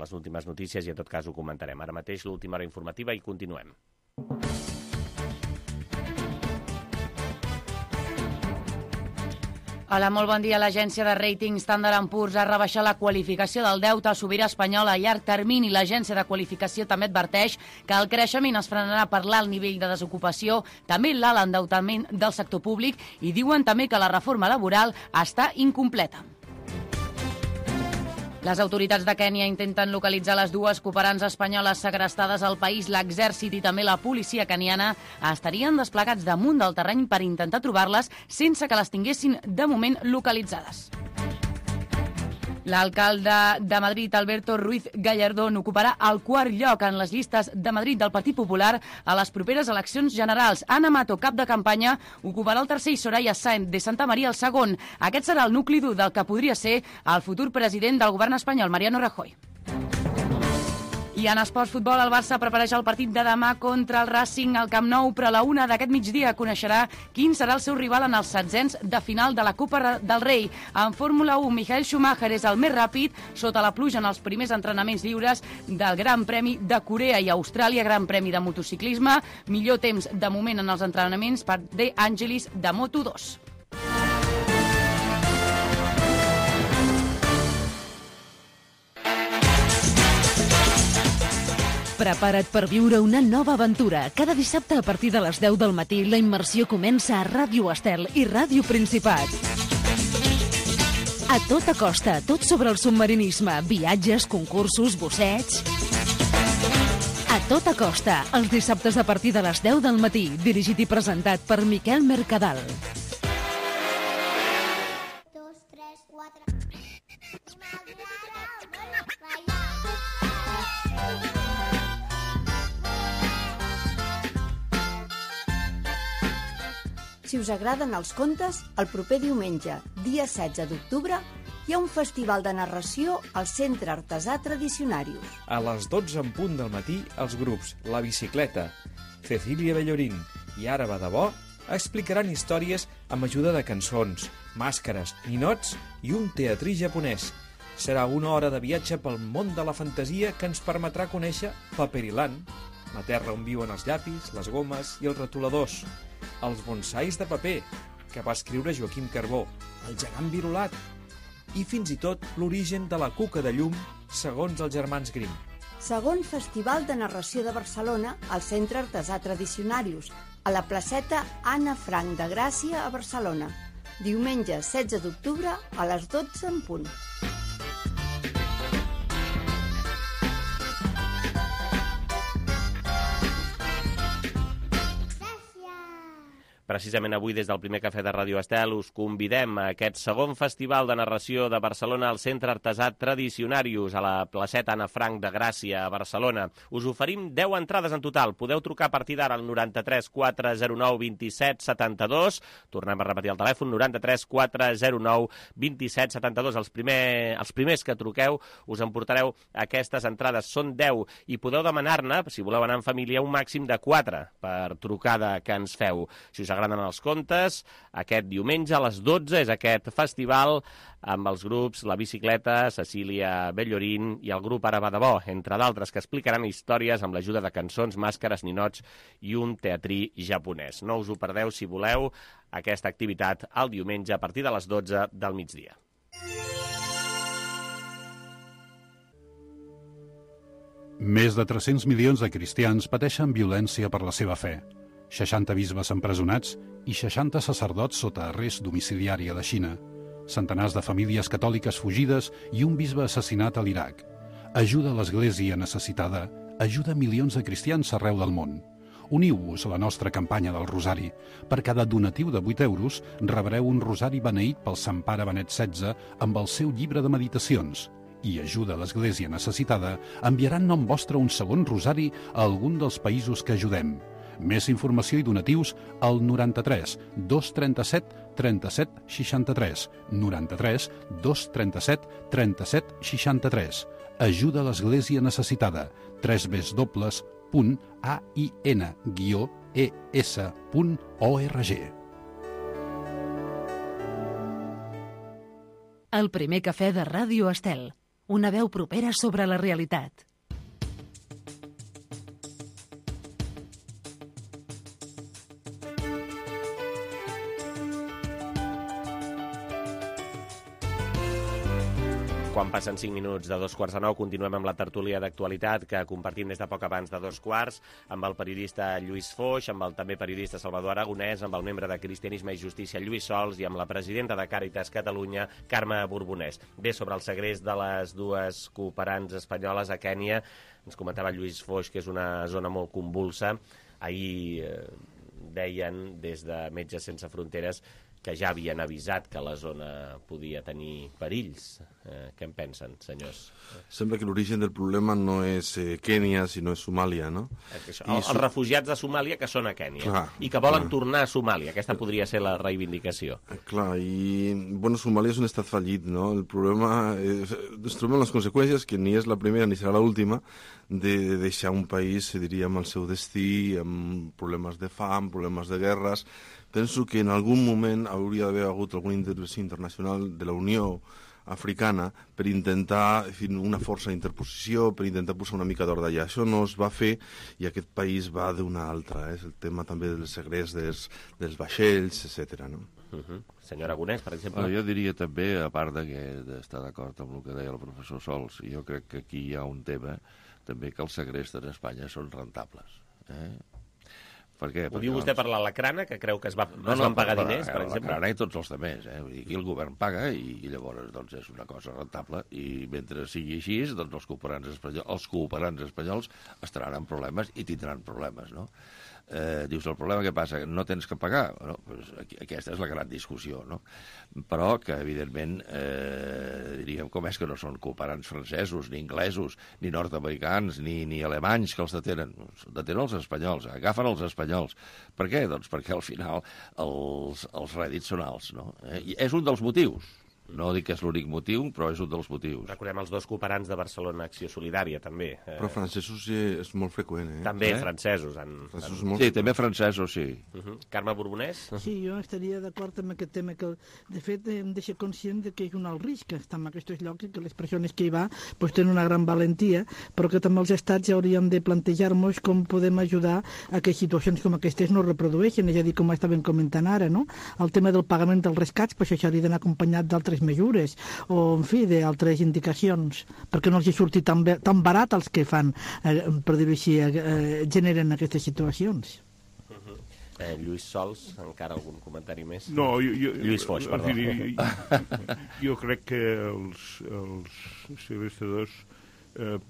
les últimes notícies i en tot cas ho comentarem. Ara mateix l'última hora informativa i continuem. Hola, molt bon dia. L'agència de rating Standard & Poor's ha rebaixat la qualificació del deute sobirà espanyol a llarg termini. L'agència de qualificació també adverteix que el creixement es frenarà per l'alt nivell de desocupació, també l'alt endeutament del sector públic i diuen també que la reforma laboral està incompleta. Les autoritats de Kènia intenten localitzar les dues cooperants espanyoles segrestades al país. L'exèrcit i també la policia keniana estarien desplegats damunt del terreny per intentar trobar-les sense que les tinguessin de moment localitzades. L'alcalde de Madrid, Alberto Ruiz Gallardón, ocuparà el quart lloc en les llistes de Madrid del Partit Popular a les properes eleccions generals. Ana Mato, cap de campanya, ocuparà el tercer i Soraya Sáenz de Santa Maria el segon. Aquest serà el nucli dur del que podria ser el futur president del govern espanyol, Mariano Rajoy. I en esports futbol, el Barça prepareix el partit de demà contra el Racing al Camp Nou, però a la 1 d'aquest migdia coneixerà quin serà el seu rival en els setzents de final de la Copa del Rei. En Fórmula 1, Michael Schumacher és el més ràpid sota la pluja en els primers entrenaments lliures del Gran Premi de Corea i Austràlia, Gran Premi de motociclisme. Millor temps de moment en els entrenaments per De Angelis de Moto2. Prepara't per viure una nova aventura. Cada dissabte a partir de les 10 del matí la immersió comença a Ràdio Estel i Ràdio Principat. A tota costa, tot sobre el submarinisme, viatges, concursos, busseigs. A tota costa, els dissabtes a partir de les 10 del matí, dirigit i presentat per Miquel Mercadal. Si us agraden els contes, el proper diumenge, dia 16 d'octubre, hi ha un festival de narració al Centre Artesà Tradicionarius. A les 12 en punt del matí, els grups La Bicicleta, Cecília Bellorín i Ara va de bo explicaran històries amb ajuda de cançons, màscares, ninots i un teatrí japonès. Serà una hora de viatge pel món de la fantasia que ens permetrà conèixer Paperiland, la terra on viuen els llapis, les gomes i els retoladors, els bonsais de paper, que va escriure Joaquim Carbó, el gegant virulat, i fins i tot l'origen de la cuca de llum, segons els germans Grimm. Segon Festival de Narració de Barcelona al Centre Artesà Tradicionarius, a la placeta Anna Frank de Gràcia a Barcelona. Diumenge 16 d'octubre a les 12 en punt. Precisament avui, des del primer cafè de Ràdio Estel, us convidem a aquest segon festival de narració de Barcelona al Centre Artesà Tradicionarius, a la placeta Anna Frank de Gràcia, a Barcelona. Us oferim 10 entrades en total. Podeu trucar a partir d'ara al 93 409 27 72. Tornem a repetir el telèfon, 93 409 27 72. Els primers que truqueu us emportareu aquestes entrades. Són 10 i podeu demanar-ne, si voleu anar en família, un màxim de 4 per trucada que ens feu. Si us agraden els contes, aquest diumenge a les 12 és aquest festival amb els grups La Bicicleta, Cecília Bellorín i el grup Ara va de bo, entre d'altres, que explicaran històries amb l'ajuda de cançons, màscares, ninots i un teatrí japonès. No us ho perdeu, si voleu, aquesta activitat el diumenge a partir de les 12 del migdia. Més de 300 milions de cristians pateixen violència per la seva fe. 60 bisbes empresonats i 60 sacerdots sota arrest domiciliari a la Xina. Centenars de famílies catòliques fugides i un bisbe assassinat a l'Iraq. Ajuda a l'Església necessitada, ajuda milions de cristians arreu del món. Uniu-vos a la nostra campanya del Rosari. Per cada donatiu de 8 euros rebreu un rosari beneït pel Sant Pare Benet XVI amb el seu llibre de meditacions. i Ajuda a l'Església Necessitada enviaran nom vostre un segon rosari a algun dels països que ajudem. Més informació i donatius al 93 237 37 63. 93 237 37 63. Ajuda a l'Església Necessitada. www.ain-es.org. El primer cafè de Ràdio Estel. Una veu propera sobre la realitat. Quan passen 5 minuts de 2:45, continuem amb la tertúlia d'actualitat que compartim des de poc abans de 2:15 amb el periodista Lluís Foix, amb el també periodista Salvador Aragonès, amb el membre de Cristianisme i Justícia Lluís Sols i amb la presidenta de Càritas Catalunya, Carme Borbonès. Bé, sobre el segrest de les dues cooperants espanyoles a Kènia, ens comentava Lluís Foix que és una zona molt convulsa. Ahir deien des de Metges Sense Fronteres que ja havien avisat que la zona podia tenir perills. Què en pensen, senyors? Sembla que l'origen del problema no és Kènia, sinó és Somàlia, no? Els refugiats de Somàlia que són a Kènia i que volen tornar a Somàlia. Aquesta podria ser la reivindicació. Clar, i bueno, Somàlia és un estat fallit, no? El problema es troben les conseqüències, que ni és la primera ni serà l'última, de deixar un país, diríem, al seu destí, amb problemes de fam, problemes de guerres. Penso que en algun moment hauria d'haver hagut alguna intervenció internacional de la Unió Africana per intentar una força d'interposició, per intentar posar una mica d'ordre allà. Això no es va fer i aquest país va d'una altra. És el tema també del segrest dels vaixells, etc. No? Senyor Aragonès, per exemple. Jo diria també, a part d'estar d'acord amb el que deia el professor Sols, jo crec que aquí hi ha un tema també que els segrestos en Espanya són rentables. Per què? Ho diu vostè per l'Alacrana, que creu que es van pagar diners, per exemple? L'Alacrana i tots els altres. Vull dir, aquí el govern paga i llavors doncs, és una cosa rentable i mentre sigui així, doncs, els cooperants espanyols estaran en problemes i tindran problemes, no? Dius, el problema que passa? No tens que pagar? No, doncs aquesta és la gran discussió, no? Però que, evidentment, diríem, com és que no són cooperants francesos, ni inglesos, ni nord-americans, ni alemanys que els detenen? Detenen els espanyols, agafen els espanyols. Per què? Doncs perquè al final els rèdits són alts, no? I és un dels motius. No dic que és l'únic motiu, però és un dels motius. Recordem els dos cooperants de Barcelona Acció Solidària, també. Però francesos és molt freqüent, També francesos. Sí, també francesos, sí. Carme Borbonès? Sí, jo estaria d'acord amb aquest tema, que de fet hem de ser conscient que és un alt risc estar en aquests llocs i que les persones que hi va tenen una gran valentia, però que també els estats ja hauríem de plantejar-nos com podem ajudar a que situacions com aquestes no reprodueixin, és a dir, com estàvem comentant ara, no? El tema del pagament dels rescats, això hauria d'anar acompanyat d'altres mesures o, en fi, d'altres indicacions, perquè no els hi surti tan barat els que fan, per dir-ho així, generen aquestes situacions. Lluís Sols, encara algun comentari més? No, Lluís Foix, perdó. Jo crec que els segrestadors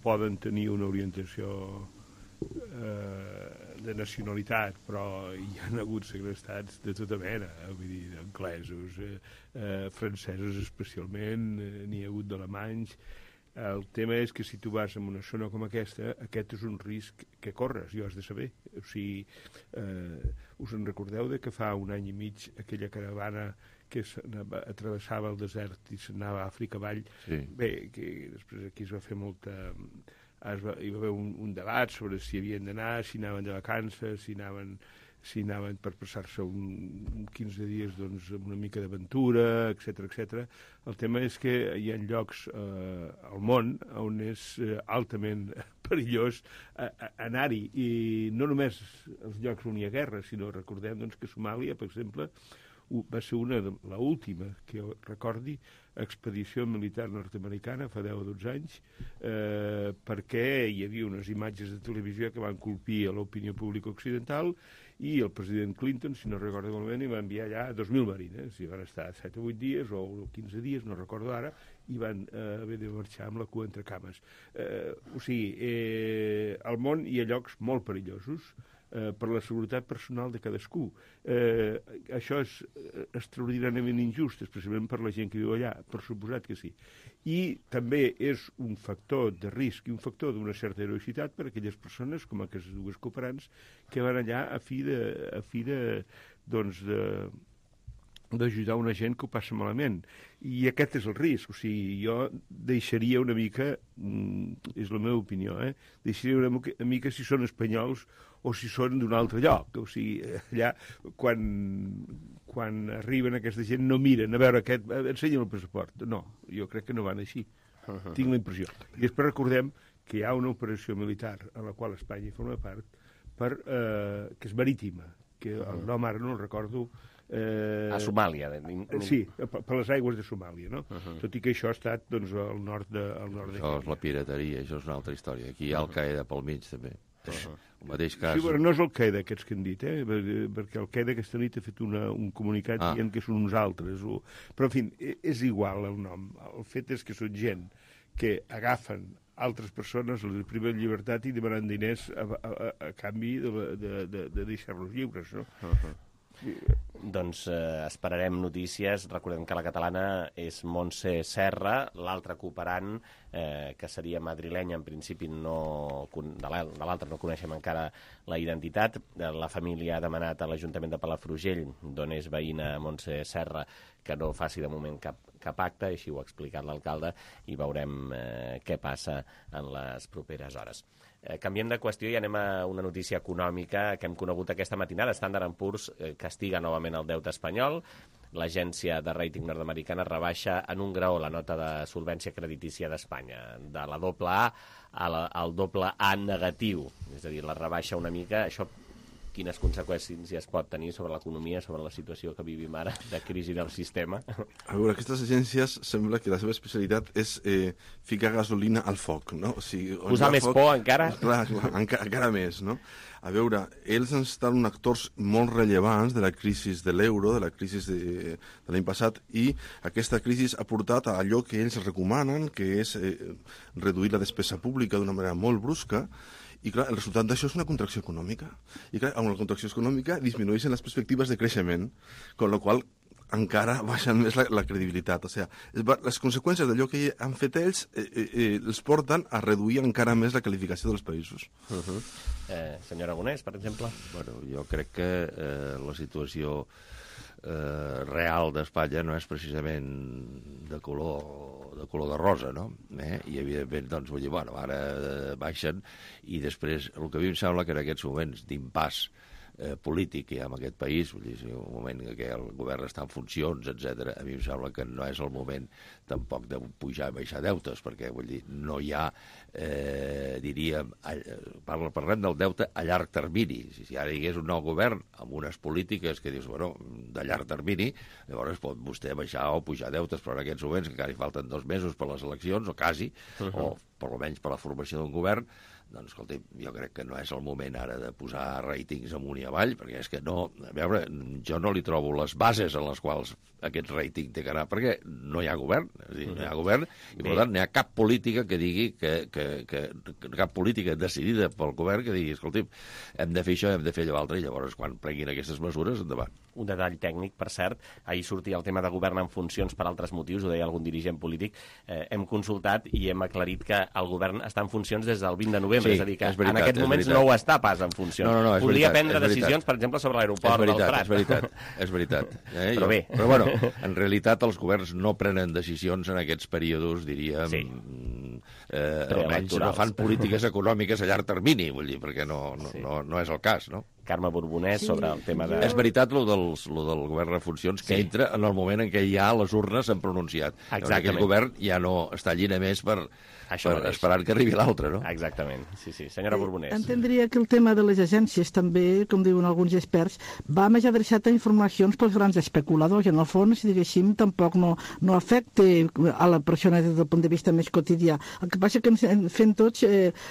poden tenir una orientació de nacionalitat, però hi ha hagut segrestats de tota mena, vull dir, anglesos, francesos especialment, n'hi ha hagut d'alemanys. El tema és que si tu vas en una zona com aquesta, aquest és un risc que corres, i ho has de saber. O sigui, us en recordeu de que fa un any i mig aquella caravana que travessava el desert i s'anava a Àfrica avall? Sí. Bé, que després aquí es va fer molta... hi va haver un debat sobre si havien d'anar, si anaven de vacances, si anaven per passar-se 15 dies doncs, amb una mica d'aventura, etc. El tema és que hi ha llocs al món on és altament perillós anar-hi, i no només els llocs on hi ha guerra, sinó recordem doncs, que Somàlia, per exemple, va ser l'última que recordi expedició militar nord-americana fa 10 o 12 anys, perquè hi havia unes imatges de televisió que van colpir a l'opinió pública occidental, i el president Clinton, si no recordo malament, hi va enviar allà 2.000 marines, i van estar 7 o 8 dies o 15 dies, no recordo ara, i van haver de marxar amb la cua entre cames. O sigui, al món hi ha llocs molt perillosos, per la seguretat personal de cadascú. Això és extraordinàriament injust, especialment per la gent que viu allà, per suposat que sí. I també és un factor de risc i un factor d'una certa heroïcitat per a aquelles persones, com aquestes dues cooperants, que van allà a fi d'ajudar una gent que ho passa malament. I aquest és el risc. O sigui, jo deixaria una mica, és la meva opinió, deixaria una mica si són espanyols o si són d'un altre lloc. O sigui, allà, quan arriben aquesta gent, no miren, a veure, ensenya'm el passaport. No, jo crec que no van així. Tinc la impressió. I després recordem que hi ha una operació militar a la qual Espanya forma part, que és marítima, que el nom ara no el recordo. A Somàlia. Sí, per les aigües de Somàlia, no? Tot i que això ha estat al nord de... Això és la pirateria, això és una altra història. Aquí hi ha Al-Qaeda pel mig, també. El mateix cas... Sí, però no és Al-Qaeda, aquests que han dit, perquè Al-Qaeda aquesta nit ha fet un comunicat dient que són uns altres. Però, en fi, és igual el nom. El fet és que són gent que agafen altres persones, les priven llibertat i demanen diners a canvi de deixar-los lliures, no? Doncs esperarem notícies. Recordem que la catalana és Montse Serra, l'altre cooperant, que seria madrilenya, en principi de l'altre no coneixem encara la identitat. La família ha demanat a l'Ajuntament de Palafrugell, d'on és veïna Montse Serra, que no faci de moment cap acte, així ho ha explicat l'alcalde, i veurem què passa en les properes hores. Canviem de qüestió i anem a una notícia econòmica que hem conegut aquesta matinada. Standard & Poor's castiga novament el deute espanyol. L'agència de rating nord-americana rebaixa en un graó la nota de solvència creditícia d'Espanya, de la AA al AA negatiu. És a dir, la rebaixa una mica. Això quines conseqüències es pot tenir sobre l'economia, sobre la situació que vivim ara, de crisi del sistema? A veure, aquestes agències sembla que la seva especialitat és ficar gasolina al foc, no? O sigui, posar més por encara? Clar, encara més, no? A veure, ells estan actors molt rellevants de la crisi de l'euro, de la crisi de l'any passat, i aquesta crisi ha portat a allò que ells recomanen, que és reduir la despesa pública d'una manera molt brusca. I clar, el resultat d'això és una contracció econòmica. I clar, amb la contracció econòmica disminueixen les perspectives de creixement, amb la qual encara baixen més la credibilitat. O sigui, les conseqüències d'allò que han fet ells els porten a reduir encara més la qualificació dels països. Senyor Aragonès, per exemple? Bueno, jo crec que la situació real d'Espanya no és precisament de color de rosa, no? I evidentment, doncs, vull dir, bueno, ara baixen i després el que a mi em sembla que en aquests moments d'impàs polític que hi ha en aquest país, vull dir, un moment en què el govern està en funcions, etc. A mi em sembla que no és el moment tampoc de pujar i baixar deutes, perquè, vull dir, no hi ha, diríem, parlem del deute a llarg termini. Si ara hi hagués un nou govern amb unes polítiques que dius, bueno, de llarg termini, llavors pot vostè baixar o pujar deutes, però en aquests moments, que encara hi falten 2 mesos per les eleccions, o quasi, o per almenys per la formació d'un govern, doncs, escolti, jo crec que no és el moment ara de posar ratings amunt i avall, perquè és que no, a veure, jo no li trobo les bases en les quals aquest rating té que anar, perquè no hi ha govern, és a dir, no hi ha govern, i per tant no hi ha cap política que digui cap política decidida pel govern que digui, escolti, hem de fer això, hem de fer allò altre, i llavors quan prenguin aquestes mesures, endavant. Un detall tècnic, per cert, ahir sortia el tema de govern en funcions per altres motius, ho deia algun dirigent polític, hem consultat i hem aclarit que el govern està en funcions des del 20 de novembre, sí, és a dir, que veritat, en aquests moments no ho està pas en funcions. No, podria prendre decisions, per exemple, sobre l'aeroport del Prat. És veritat. Però bé. Però bueno, en realitat els governs no prenen decisions en aquests períodes, diríem, almenys no fan polítiques econòmiques a llarg termini, vull dir, perquè no és el cas, no? Carme Borbonès, sobre el tema de... És veritat, lo del govern en funcions, que entra en el moment en què ja les urnes s'han pronunciat. Exactament. Aquell govern ja no està allí només per esperar que arribi l'altre, no? Exactament, sí. Senyora Borbonès. Entendria que el tema de les agències també, com diuen alguns experts, va més adreçat a informacions pels grans especuladors. En el fons, diguéssim, tampoc no afecta a la persona des del punt de vista més quotidià. El que passa que ens fem tots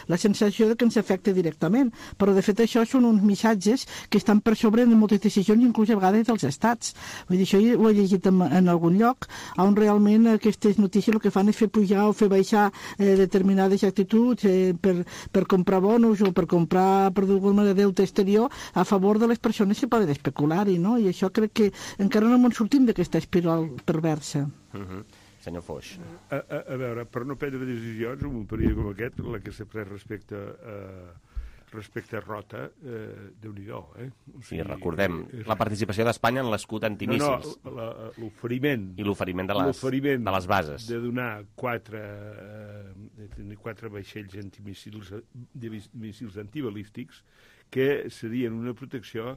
la sensació de que ens afecta directament. Però, de fet, això són uns missatges empreses que estan per sobre de moltes decisions, inclús a vegades dels estats. Vull dir, això ho he llegit en algun lloc, on realment aquestes notícies el que fan és fer pujar o fer baixar determinades actituds per comprar bonus o per comprar, per d'alguna manera, deute exterior a favor de les persones que poden especular-hi, no? I això crec que encara no ens sortim d'aquesta espiral perversa. Senyor Foix. A veure, per no prendre decisions, en un període com aquest, la que s'ha pres respecte a Rota, Déu-n'hi-do, O sigui, recordem, la participació d'Espanya en l'escut antimíssils. No, l'oferiment. I l'oferiment de les bases. De donar 4 vaixells antimíssils antibalístics que serien una protecció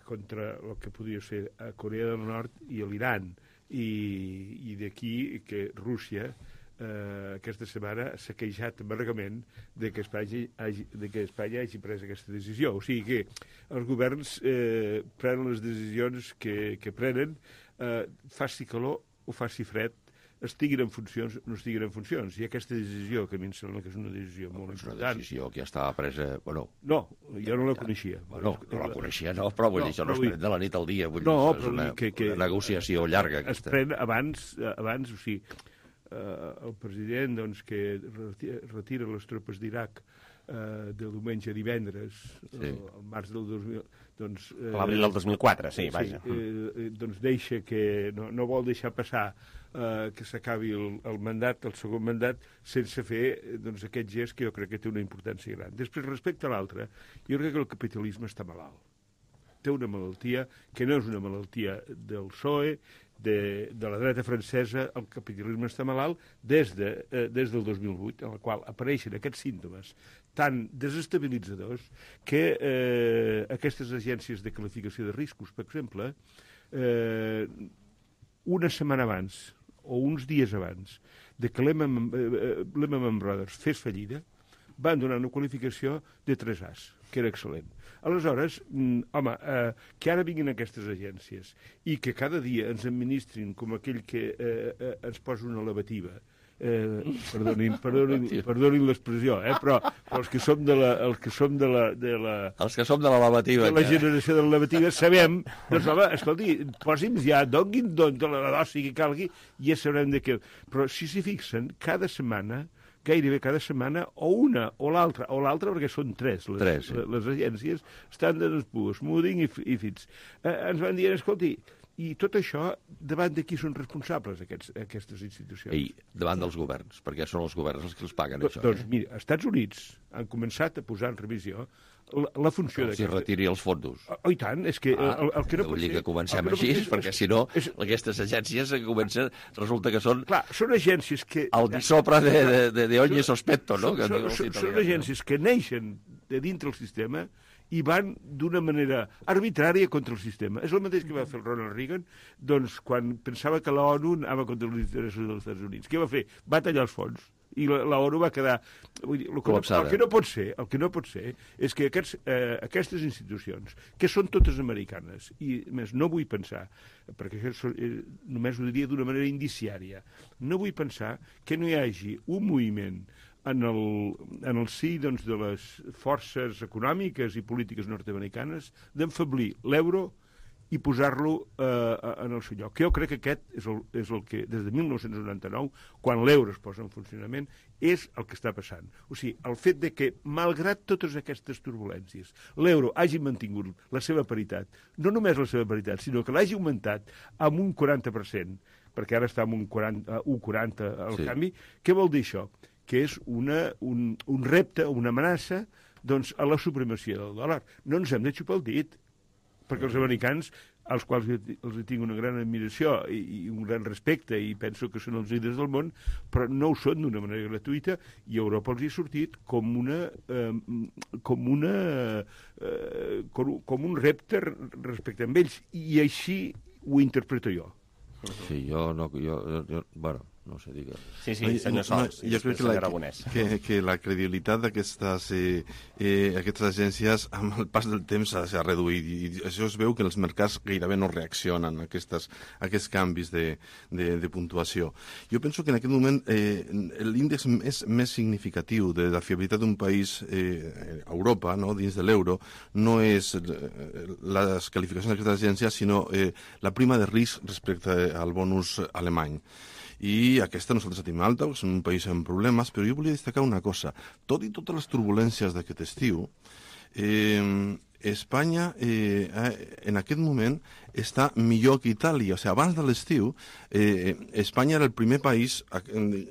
contra el que podria ser a Corea del Nord i a l'Iran. I d'aquí que Rússia aquesta setmana s'ha queixat amargament que Espanya hagi pres aquesta decisió. O sigui que els governs prenen les decisions que prenen, faci calor o faci fred, estiguin en funcions o no estiguin en funcions. I aquesta decisió, que a mi em sembla que és una decisió molt important... Una decisió que ja estava presa... Bueno, no, jo no la coneixia. Bueno, no la coneixia, no, però vull dir, això no es pren de la nit al dia. Vull dir, és una negociació llarga. Es pren abans, o sigui, el president que retira les tropes d'Iraq de diumenge a divendres, al març del 2000... L'abril del 2004, sí, vaja. Doncs deixa que... No vol deixar passar que s'acabi el mandat, el segon mandat, sense fer aquest gest que jo crec que té una importància gran. Després, respecte a l'altre, jo crec que el capitalisme està malalt. Té una malaltia que no és una malaltia del PSOE, de la dreta francesa. El capitalisme està malalt des del 2008, en el qual apareixen aquests símptomes tan desestabilitzadors que aquestes agències de qualificació de riscos, per exemple, una setmana abans o uns dies abans de que Lehman Brothers fes fallida, van donar una qualificació de 3As, que era excel·lent. Aleshores, home, que ara vinguin aquestes agències i que cada dia ens administrin com aquell que ens posa una lavativa, perdonin l'expressió, però els que som de la lavativa, de la generació de la lavativa, sabem, doncs home, escolti, posi'ns ja, donguin la dosi que calgui, i ja sabrem de què. Però si s'hi fixen, cada setmana, gairebé cada setmana, o una o l'altra, perquè són tres les agències, Standard & Poor's, Moody's i Fitch, ens van dir, escolti, i tot això, davant de qui són responsables aquestes institucions? I davant dels governs, perquè són els governs els que els paguen, això. Doncs mira, els Estats Units han començat a posar en revisió la funció d'aquesta... Si retiri els fons. Oh, i tant, és que el que no pot ser... Vull dir que comencem així, perquè si no, aquestes agències resulta que són... Clar, són agències que... El disopre de ogni sospetto, no? Són agències que neixen de dintre el sistema i van d'una manera arbitrària contra el sistema. És el mateix que va fer el Ronald Reagan, doncs, quan pensava que l'ONU anava contra els interessos dels Estats Units. Què va fer? Va tallar els fons. I l'ONU va quedar... Vull dir, el que no pot ser és que aquestes institucions, que són totes americanes, i més no vull pensar, perquè això només ho diria d'una manera indiciària, no vull pensar que no hi hagi un moviment en el si de les forces econòmiques i polítiques nord-americanes d'enfeblir l'euro i posar-lo en el seu lloc. Jo crec que aquest és el que, des de 1999, quan l'euro es posa en funcionament, és el que està passant. O sigui, el fet de que, malgrat totes aquestes turbulències, l'euro hagi mantingut la seva paritat, no només la seva paritat, sinó que l'hagi augmentat amb un 40%, perquè ara està amb un 1,40 al canvi, què vol dir això? Que és un repte, una amenaça, doncs, a la supremacia del dòlar. No ens hem de xupar el dit, perquè els americans, als quals els tinc una gran admiració i un gran respecte, i penso que són els líders del món, però no ho són d'una manera gratuïta, i Europa els hi ha sortit com un repte respecte a ells, i així ho interpreto jo. Sí, bueno, No sé, digues. Sí, senyor Sols, jo crec que la credibilitat d'aquestes agències amb el pas del temps s'ha reduït i això es veu que els mercats gairebé no reaccionen a aquests canvis de puntuació. Jo penso que en aquest moment l'índex més significatiu de la fiabilitat d'un país a Europa, dins de l'euro, no és les qualificacions d'aquestes agències, sinó la prima de risc respecte al bonus alemany. I aquesta nosaltres la tenim alta, perquè som un país amb problemes, però jo volia destacar una cosa. Tot i totes les turbulències d'aquest estiu, Espanya en aquest moment està millor que Itàlia. O sigui, abans de l'estiu, Espanya era el primer país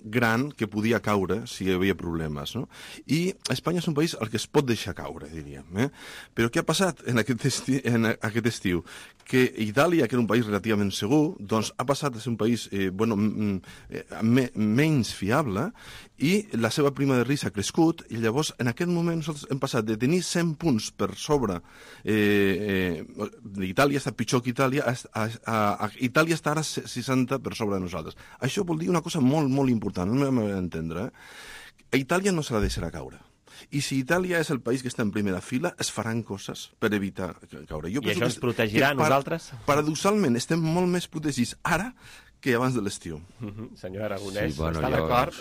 gran que podia caure si hi havia problemes, no? I Espanya és un país al que es pot deixar caure, diríem. Però què ha passat en aquest estiu? Que Itàlia, que era un país relativament segur, doncs ha passat a ser un país menys fiable i la seva prima de risc ha crescut i llavors en aquest moment nosaltres hem passat de tenir 100 punts per sobre Itàlia està pitjor que Itàlia, Itàlia està ara 60 per sobre de nosaltres. Això vol dir una cosa molt, molt important, no m'he d'entendre. A Itàlia no se la deixarà caure. I si Itàlia és el país que està en primera fila, es faran coses per evitar caure. I això ens protegirà a nosaltres? Paradoxalment, estem molt més protegits ara que abans de l'estiu. Senyor Aragonès, està d'acord?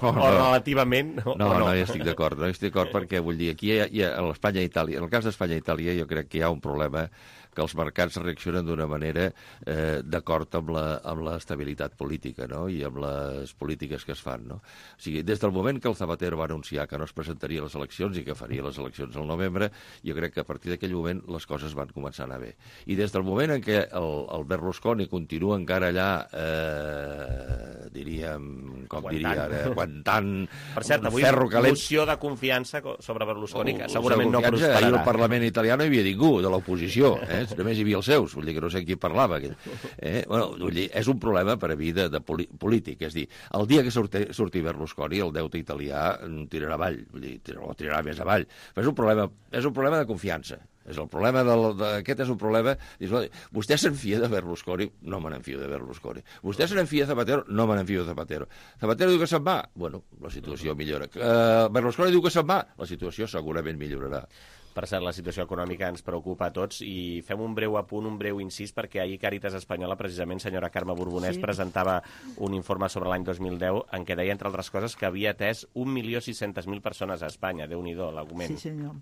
O relativament? No, jo estic d'acord. No estic d'acord perquè, vull dir, aquí a l'Espanya i Itàlia, en el cas d'Espanya i Itàlia, jo crec que hi ha un problema que els mercats reaccionen d'una manera d'acord amb l'estabilitat política, no? I amb les polítiques que es fan, no? O sigui, des del moment que el Zapatero va anunciar que no es presentaria a les eleccions i que faria les eleccions al novembre, jo crec que a partir d'aquell moment les coses van començar a anar bé. I des del moment en què el Berlusconi continua encara allà, diríem, com diria ara, aguantant per cert, avui moció de confiança sobre Berlusconi, que segurament no prosperarà. Ahir al Parlament italià no hi havia ningú de l'oposició, només hi havia els seus, vull dir que no sé qui parlava. Vull dir, és un problema per a mi de polític, és dir, el dia que surti Berlusconi, el deute italià tirarà avall, vull dir, tirarà més avall. Però és un problema de confiança. Aquest és un problema... Vostè s'enfia de Berlusconi? No me n'enfio de Berlusconi. Vostè se n'enfia de Zapatero? No me n'enfio de Zapatero. Zapatero diu que se'n va? Bueno, la situació millora. Berlusconi diu que se'n va? La situació segurament millorarà. Per cert, la situació econòmica ens preocupa a tots i fem un breu apunt, un breu incís, perquè ahir Càritas Espanyola, precisament, senyora Carme Borbonès, presentava un informe sobre l'any 2010 en què deia, entre altres coses, que havia atès 1.600.000 persones a Espanya. Déu-n'hi-do, l'augment. Sí, senyor.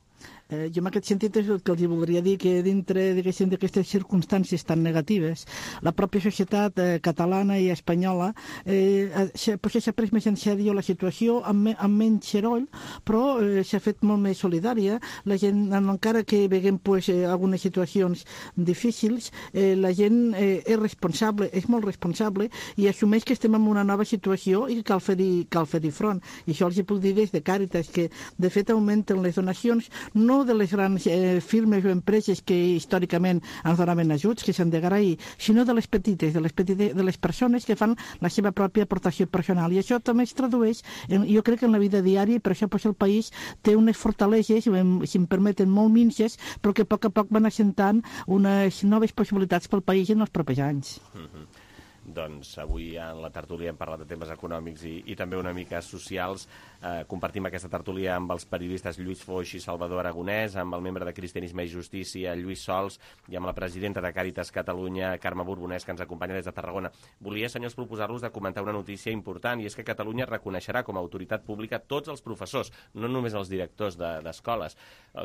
Jo en aquest sentit és el que els voldria dir, que dintre d'aquestes circumstàncies tan negatives, la pròpia societat catalana i espanyola s'ha pres més en sèrio la situació amb menys soroll, però s'ha fet molt més solidària. La gent, encara que veiem algunes situacions difícils, la gent és responsable, és molt responsable i assumeix que estem en una nova situació i que cal fer-hi front. I això els puc dir des de Càritas, que de fet augmenten les donacions no de les grans firmes o empreses que històricament ens donaven ajuts, que s'han d'agrair, sinó de les petites, de les persones que fan la seva pròpia aportació personal. I això també es tradueix, jo crec, en la vida diària, i per això el país té unes fortaleses, si em permeten, molt minces, però que a poc van assentant unes noves possibilitats pel país en els propers anys. Doncs avui en la tertúlia hem parlat de temes econòmics i també una mica socials. Compartim aquesta tertúlia amb els periodistes Lluís Foix i Salvador Aragonès, amb el membre de Cristianisme i Justícia, Lluís Sols, i amb la presidenta de Càritas Catalunya, Carme Borbonès, que ens acompanya des de Tarragona. Volia, senyors, proposar-los de comentar una notícia important, i és que Catalunya reconeixerà com a autoritat pública tots els professors, no només els directors d'escoles.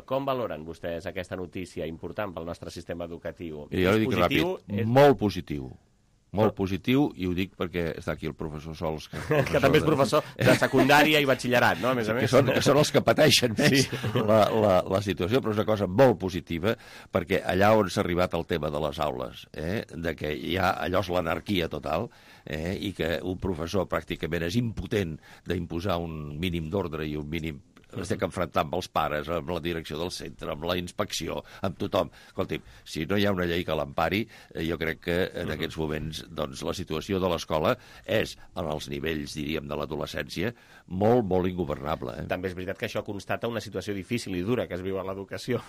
Com valoren vostès aquesta notícia important pel nostre sistema educatiu? Jo li dic ràpid, molt positiu. Molt positiu, i ho dic perquè està aquí el professor Sols. Que també és professor de secundària i batxillerat, no? A més a més. Que són els que pateixen més la situació, però és una cosa molt positiva, perquè allà on s'ha arribat el tema de les aules, de que allò és l'anarquia total, i que un professor pràcticament és impotent d'imposar un mínim d'ordre i un mínim Estic enfrontant amb els pares, amb la direcció del centre, amb la inspecció, amb tothom. Escolti'm, si no hi ha una llei que l'empari, jo crec que en aquests moments doncs, la situació de l'escola és, en els nivells, diríem, de l'adolescència, molt, molt ingovernable. També és veritat que això constata una situació difícil i dura que es viu a l'educació,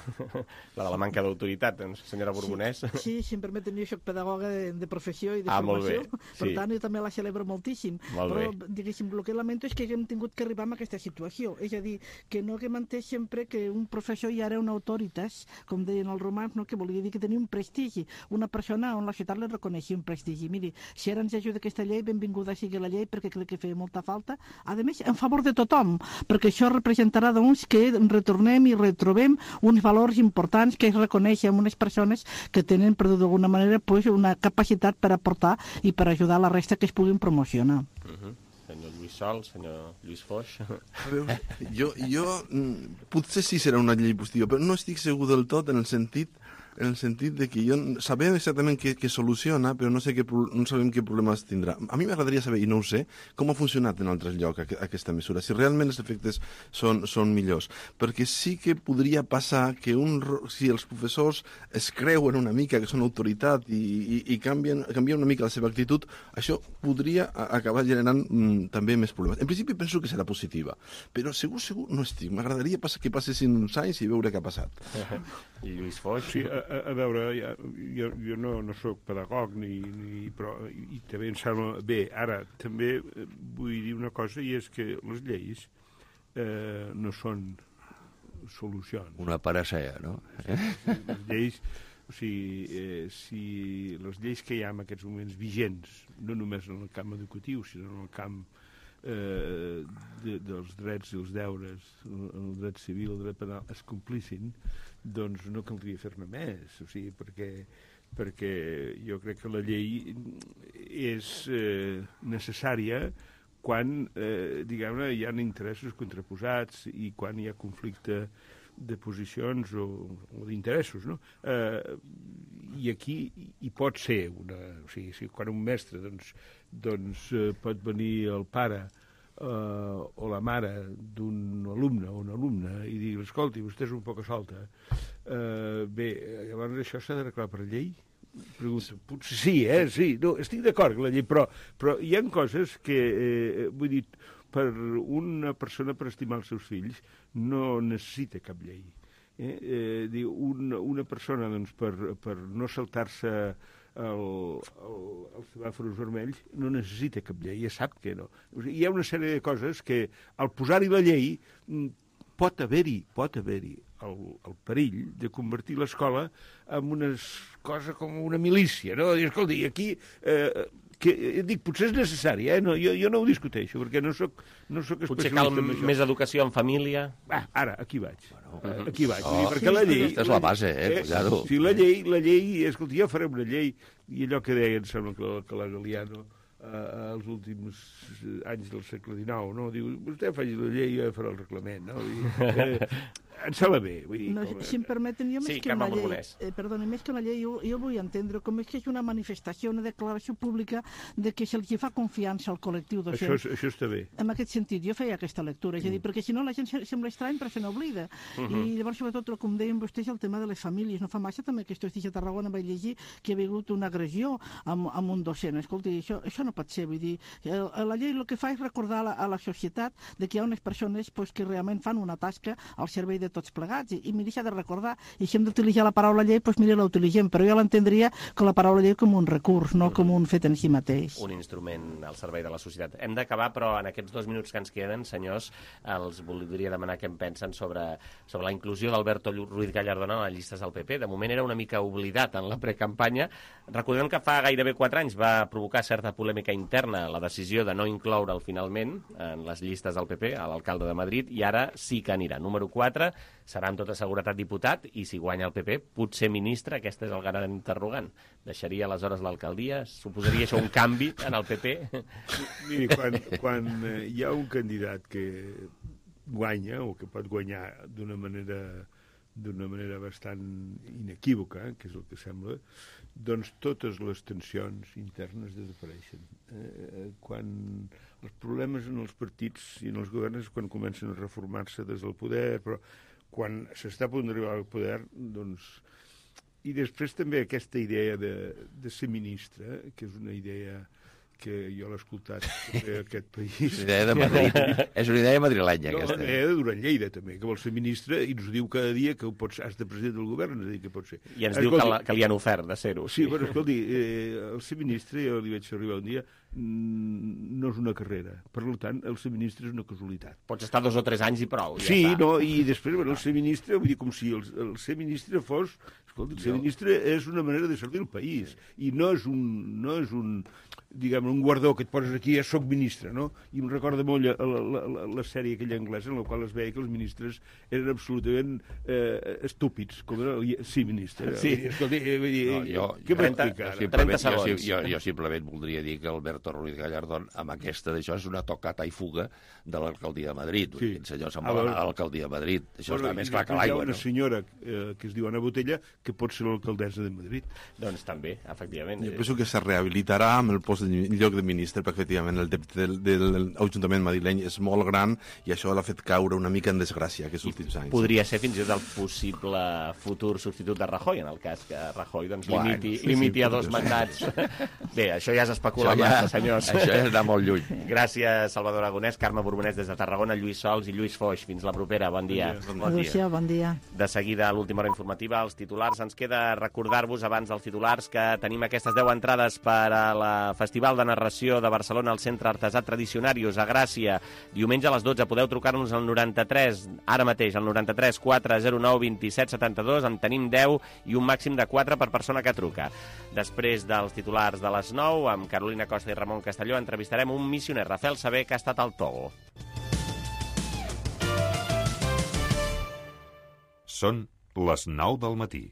la de la manca d'autoritat, senyora Borbonès. Sí, si em permeten, jo soc pedagoga de professió i de formació, per tant, jo també la celebro moltíssim. Però, diguéssim, el que lamento és que haguem tingut que arribar a aquesta situació. És a dir, que no haguem entès sempre que un professor ja era una autoritat, com deien els romans, no? Que volia dir que tenia un prestigi, una persona on la societat li reconeixia un prestigi. Miri, si ara ens ajuda aquesta llei, benvinguda sigui la llei, perquè crec que feia molta falta. A més, en favor de tothom, perquè això representarà doncs, que retornem i retrobem uns valors importants que es reconeixen unes persones que tenen, per d'alguna manera, pues, una capacitat per aportar i per ajudar la resta que es puguin promocionar. Senyor Lluís Sol, senyor Lluís Foix. A veure, jo potser sí serà una llei positiva, però no estic segur del tot en el sentit de que sabem exactament què soluciona, però no sabem què problemes tindrà. A mi m'agradaria saber, i no ho sé, com ha funcionat en altres llocs aquesta mesura, si realment els efectes són millors. Perquè sí que podria passar que si els professors es creuen una mica que són autoritat i canvien una mica la seva actitud, això podria acabar generant també més problemes. En principi penso que serà positiva, però segur no estic. M'agradaria que passessin uns anys i veure què ha passat. I Lluís Foix? Sí, a veure, jo no soc pedagog, però també em sembla bé. Ara, també vull dir una cosa, i és que les lleis no són solucions. Una panacea, no? Les lleis, o sigui, si les lleis que hi ha en aquests moments vigents, no només en el camp educatiu, sinó en el camp dels drets i els deures, el dret civil, el dret penal, es complissin, doncs no caldria fer-ne més, o sigui, perquè jo crec que la llei és necessària quan, diguem-ne, hi ha interessos contraposats i quan hi ha conflicte de posicions o d'interessos, no? I aquí hi pot ser o sigui, quan un mestre doncs pot venir el pare o la mare d'un alumne o una alumna i dir, escolti, vostè és un poc solta. Bé, llavors això s'ha d'arreglar per llei? Pregunta. Potser sí, sí. No, estic d'acord amb la llei, però hi ha coses que, vull dir, per una persona per estimar els seus fills no necessita cap llei. Una persona, doncs, per no saltar-se els semàfors vermells no necessita cap llei, ja sap que no. Hi ha una sèrie de coses que al posar-hi la llei pot haver-hi el perill de convertir l'escola en una cosa com una milícia, no? I, escolti, aquí dic, potser és necessari, no, jo no ho discuteixo, perquè no soc especialista. Potser cal més educació en família? Ara, aquí vaig. Aquí vaig. Perquè la llei... Aquesta és la base, cuidado. Sí, la llei, escolta, ja farem una llei, i allò que deia, em sembla que la Galiano, als últims anys del segle XIX, no? Diu, vostè faci la llei i jo faré el reglament, no? Em sembla bé. Vull dir, no, si em permeten, jo sí, més que una llei, perdoni, més que una llei, jo vull entendre com és que és una manifestació, una declaració pública de que se'ls fa confiança al col·lectiu docent. Això està bé. En aquest sentit, jo feia aquesta lectura, és a dir, perquè si no la gent sembla estrany però se n'oblida. I llavors, sobretot, com deien vostès, el tema de les famílies. No fa massa també que estos dies a Tarragona vaig llegir que hi ha hagut una agressió amb un docent. Escolti, això no pot ser, vull dir, la llei el que fa és recordar a la societat de que hi ha unes persones que realment fan una tasca al servei de tots plegats, i m'hi deixa de recordar, i si hem d'utilitzar la paraula llei, doncs mira, la utilitzem, però jo l'entendria com la paraula llei com un recurs, no com un fet en si mateix. Un instrument al servei de la societat. Hem d'acabar, però en aquests 2 minuts que ens queden, senyors, els voldria demanar què en pensen sobre la inclusió d'Alberto Ruiz Gallardón a les llistes del PP. De moment era una mica oblidat en la precampanya. Recordem que fa gairebé 4 anys va provocar certa polèmica interna la decisió de no incloure'l finalment en les llistes del PP, a l'alcalde de Madrid, i ara sí que anirà. Número 4, serà amb tota seguretat diputat, i si guanya el PP, potser ministre. Aquest és el gran interrogant. Deixaria aleshores l'alcaldia? Suposaria això un canvi en el PP? Miri, quan hi ha un candidat que guanya, o que pot guanyar d'una manera d'una manera bastant inequívoca, que és el que sembla, doncs totes les tensions internes desapareixen. Quan els problemes en els partits i en els governs és quan comencen a reformar-se des del poder, però quan s'està a punt d'arribar al poder, doncs... I després també aquesta idea de ser ministre, que és una idea que jo l'he escoltat a aquest país. Una idea de Madrid. És una idea madrilenya, aquesta. Una idea de Duran Lleida, també, que vol ser ministre i ens diu cada dia que has de president del govern, és a dir, que pot ser. I ens diu que li han ofert de ser-ho. Sí, però escolti, el ser ministre, jo li vaig arribar un dia, no és una carrera. Per tant, el ser ministre és una casualitat. Pots estar 2 o 3 anys i prou. Sí, no, i després, bueno, el ser ministre, vull dir, com si el ser ministre fos... Escolta, el ser ministre és una manera de servir el país i no és un diguem, un guardó que et poses aquí, ja soc ministre, no? I em recorda molt la sèrie aquella anglesa en la qual es veia que els ministres eren absolutament estúpids, com era sí, ministre. Sí. Escolta, vull dir, què m'explica? 30 segons. Jo simplement voldria dir que Alberto Ruiz Gallardón, amb aquesta d'això, és una tocata i fuga de l'alcaldia de Madrid. Sí. El senyor se'n vol anar a l'alcaldia de Madrid. Això està més clar que l'aigua. Hi ha una senyora que es diu Ana Botella que pot ser l'alcaldessa de Madrid. Doncs també, efectivament. Jo penso que se rehabilitarà amb el post de lloc de ministre, perquè efectivament el debte de l'Ajuntament madrileny és molt gran i això l'ha fet caure una mica en desgràcia aquests últims anys. Podria ser fins i tot el possible futur substitut de Rajoy, en el cas que Rajoy doncs, limiti a 2 mandats. Bé, això ja s'especula massa, senyors. Això ja està molt lluny. Gràcies, Salvador Aragonès, Carme Borbonès des de Tarragona, Lluís Sols i Lluís Foix. Fins la propera. Bon dia. Bon dia. De seguida, a l'última hora informativa, els titulars. Ens queda recordar-vos, abans dels titulars, que tenim aquestes 10 entrades per a la Festival de Narració de Barcelona al Centre Artesà Tradicionarius a Gràcia. Diumenge a les 12 podeu trucar-nos al 93, ara mateix, al 93 409 27 72. En tenim 10 i un màxim de 4 per persona que truca. Després dels titulars de les 9, amb Carolina Costa i Ramon Castelló, entrevistarem un missioner, Rafael Saber, que ha estat al Togo. Són les 9 del matí.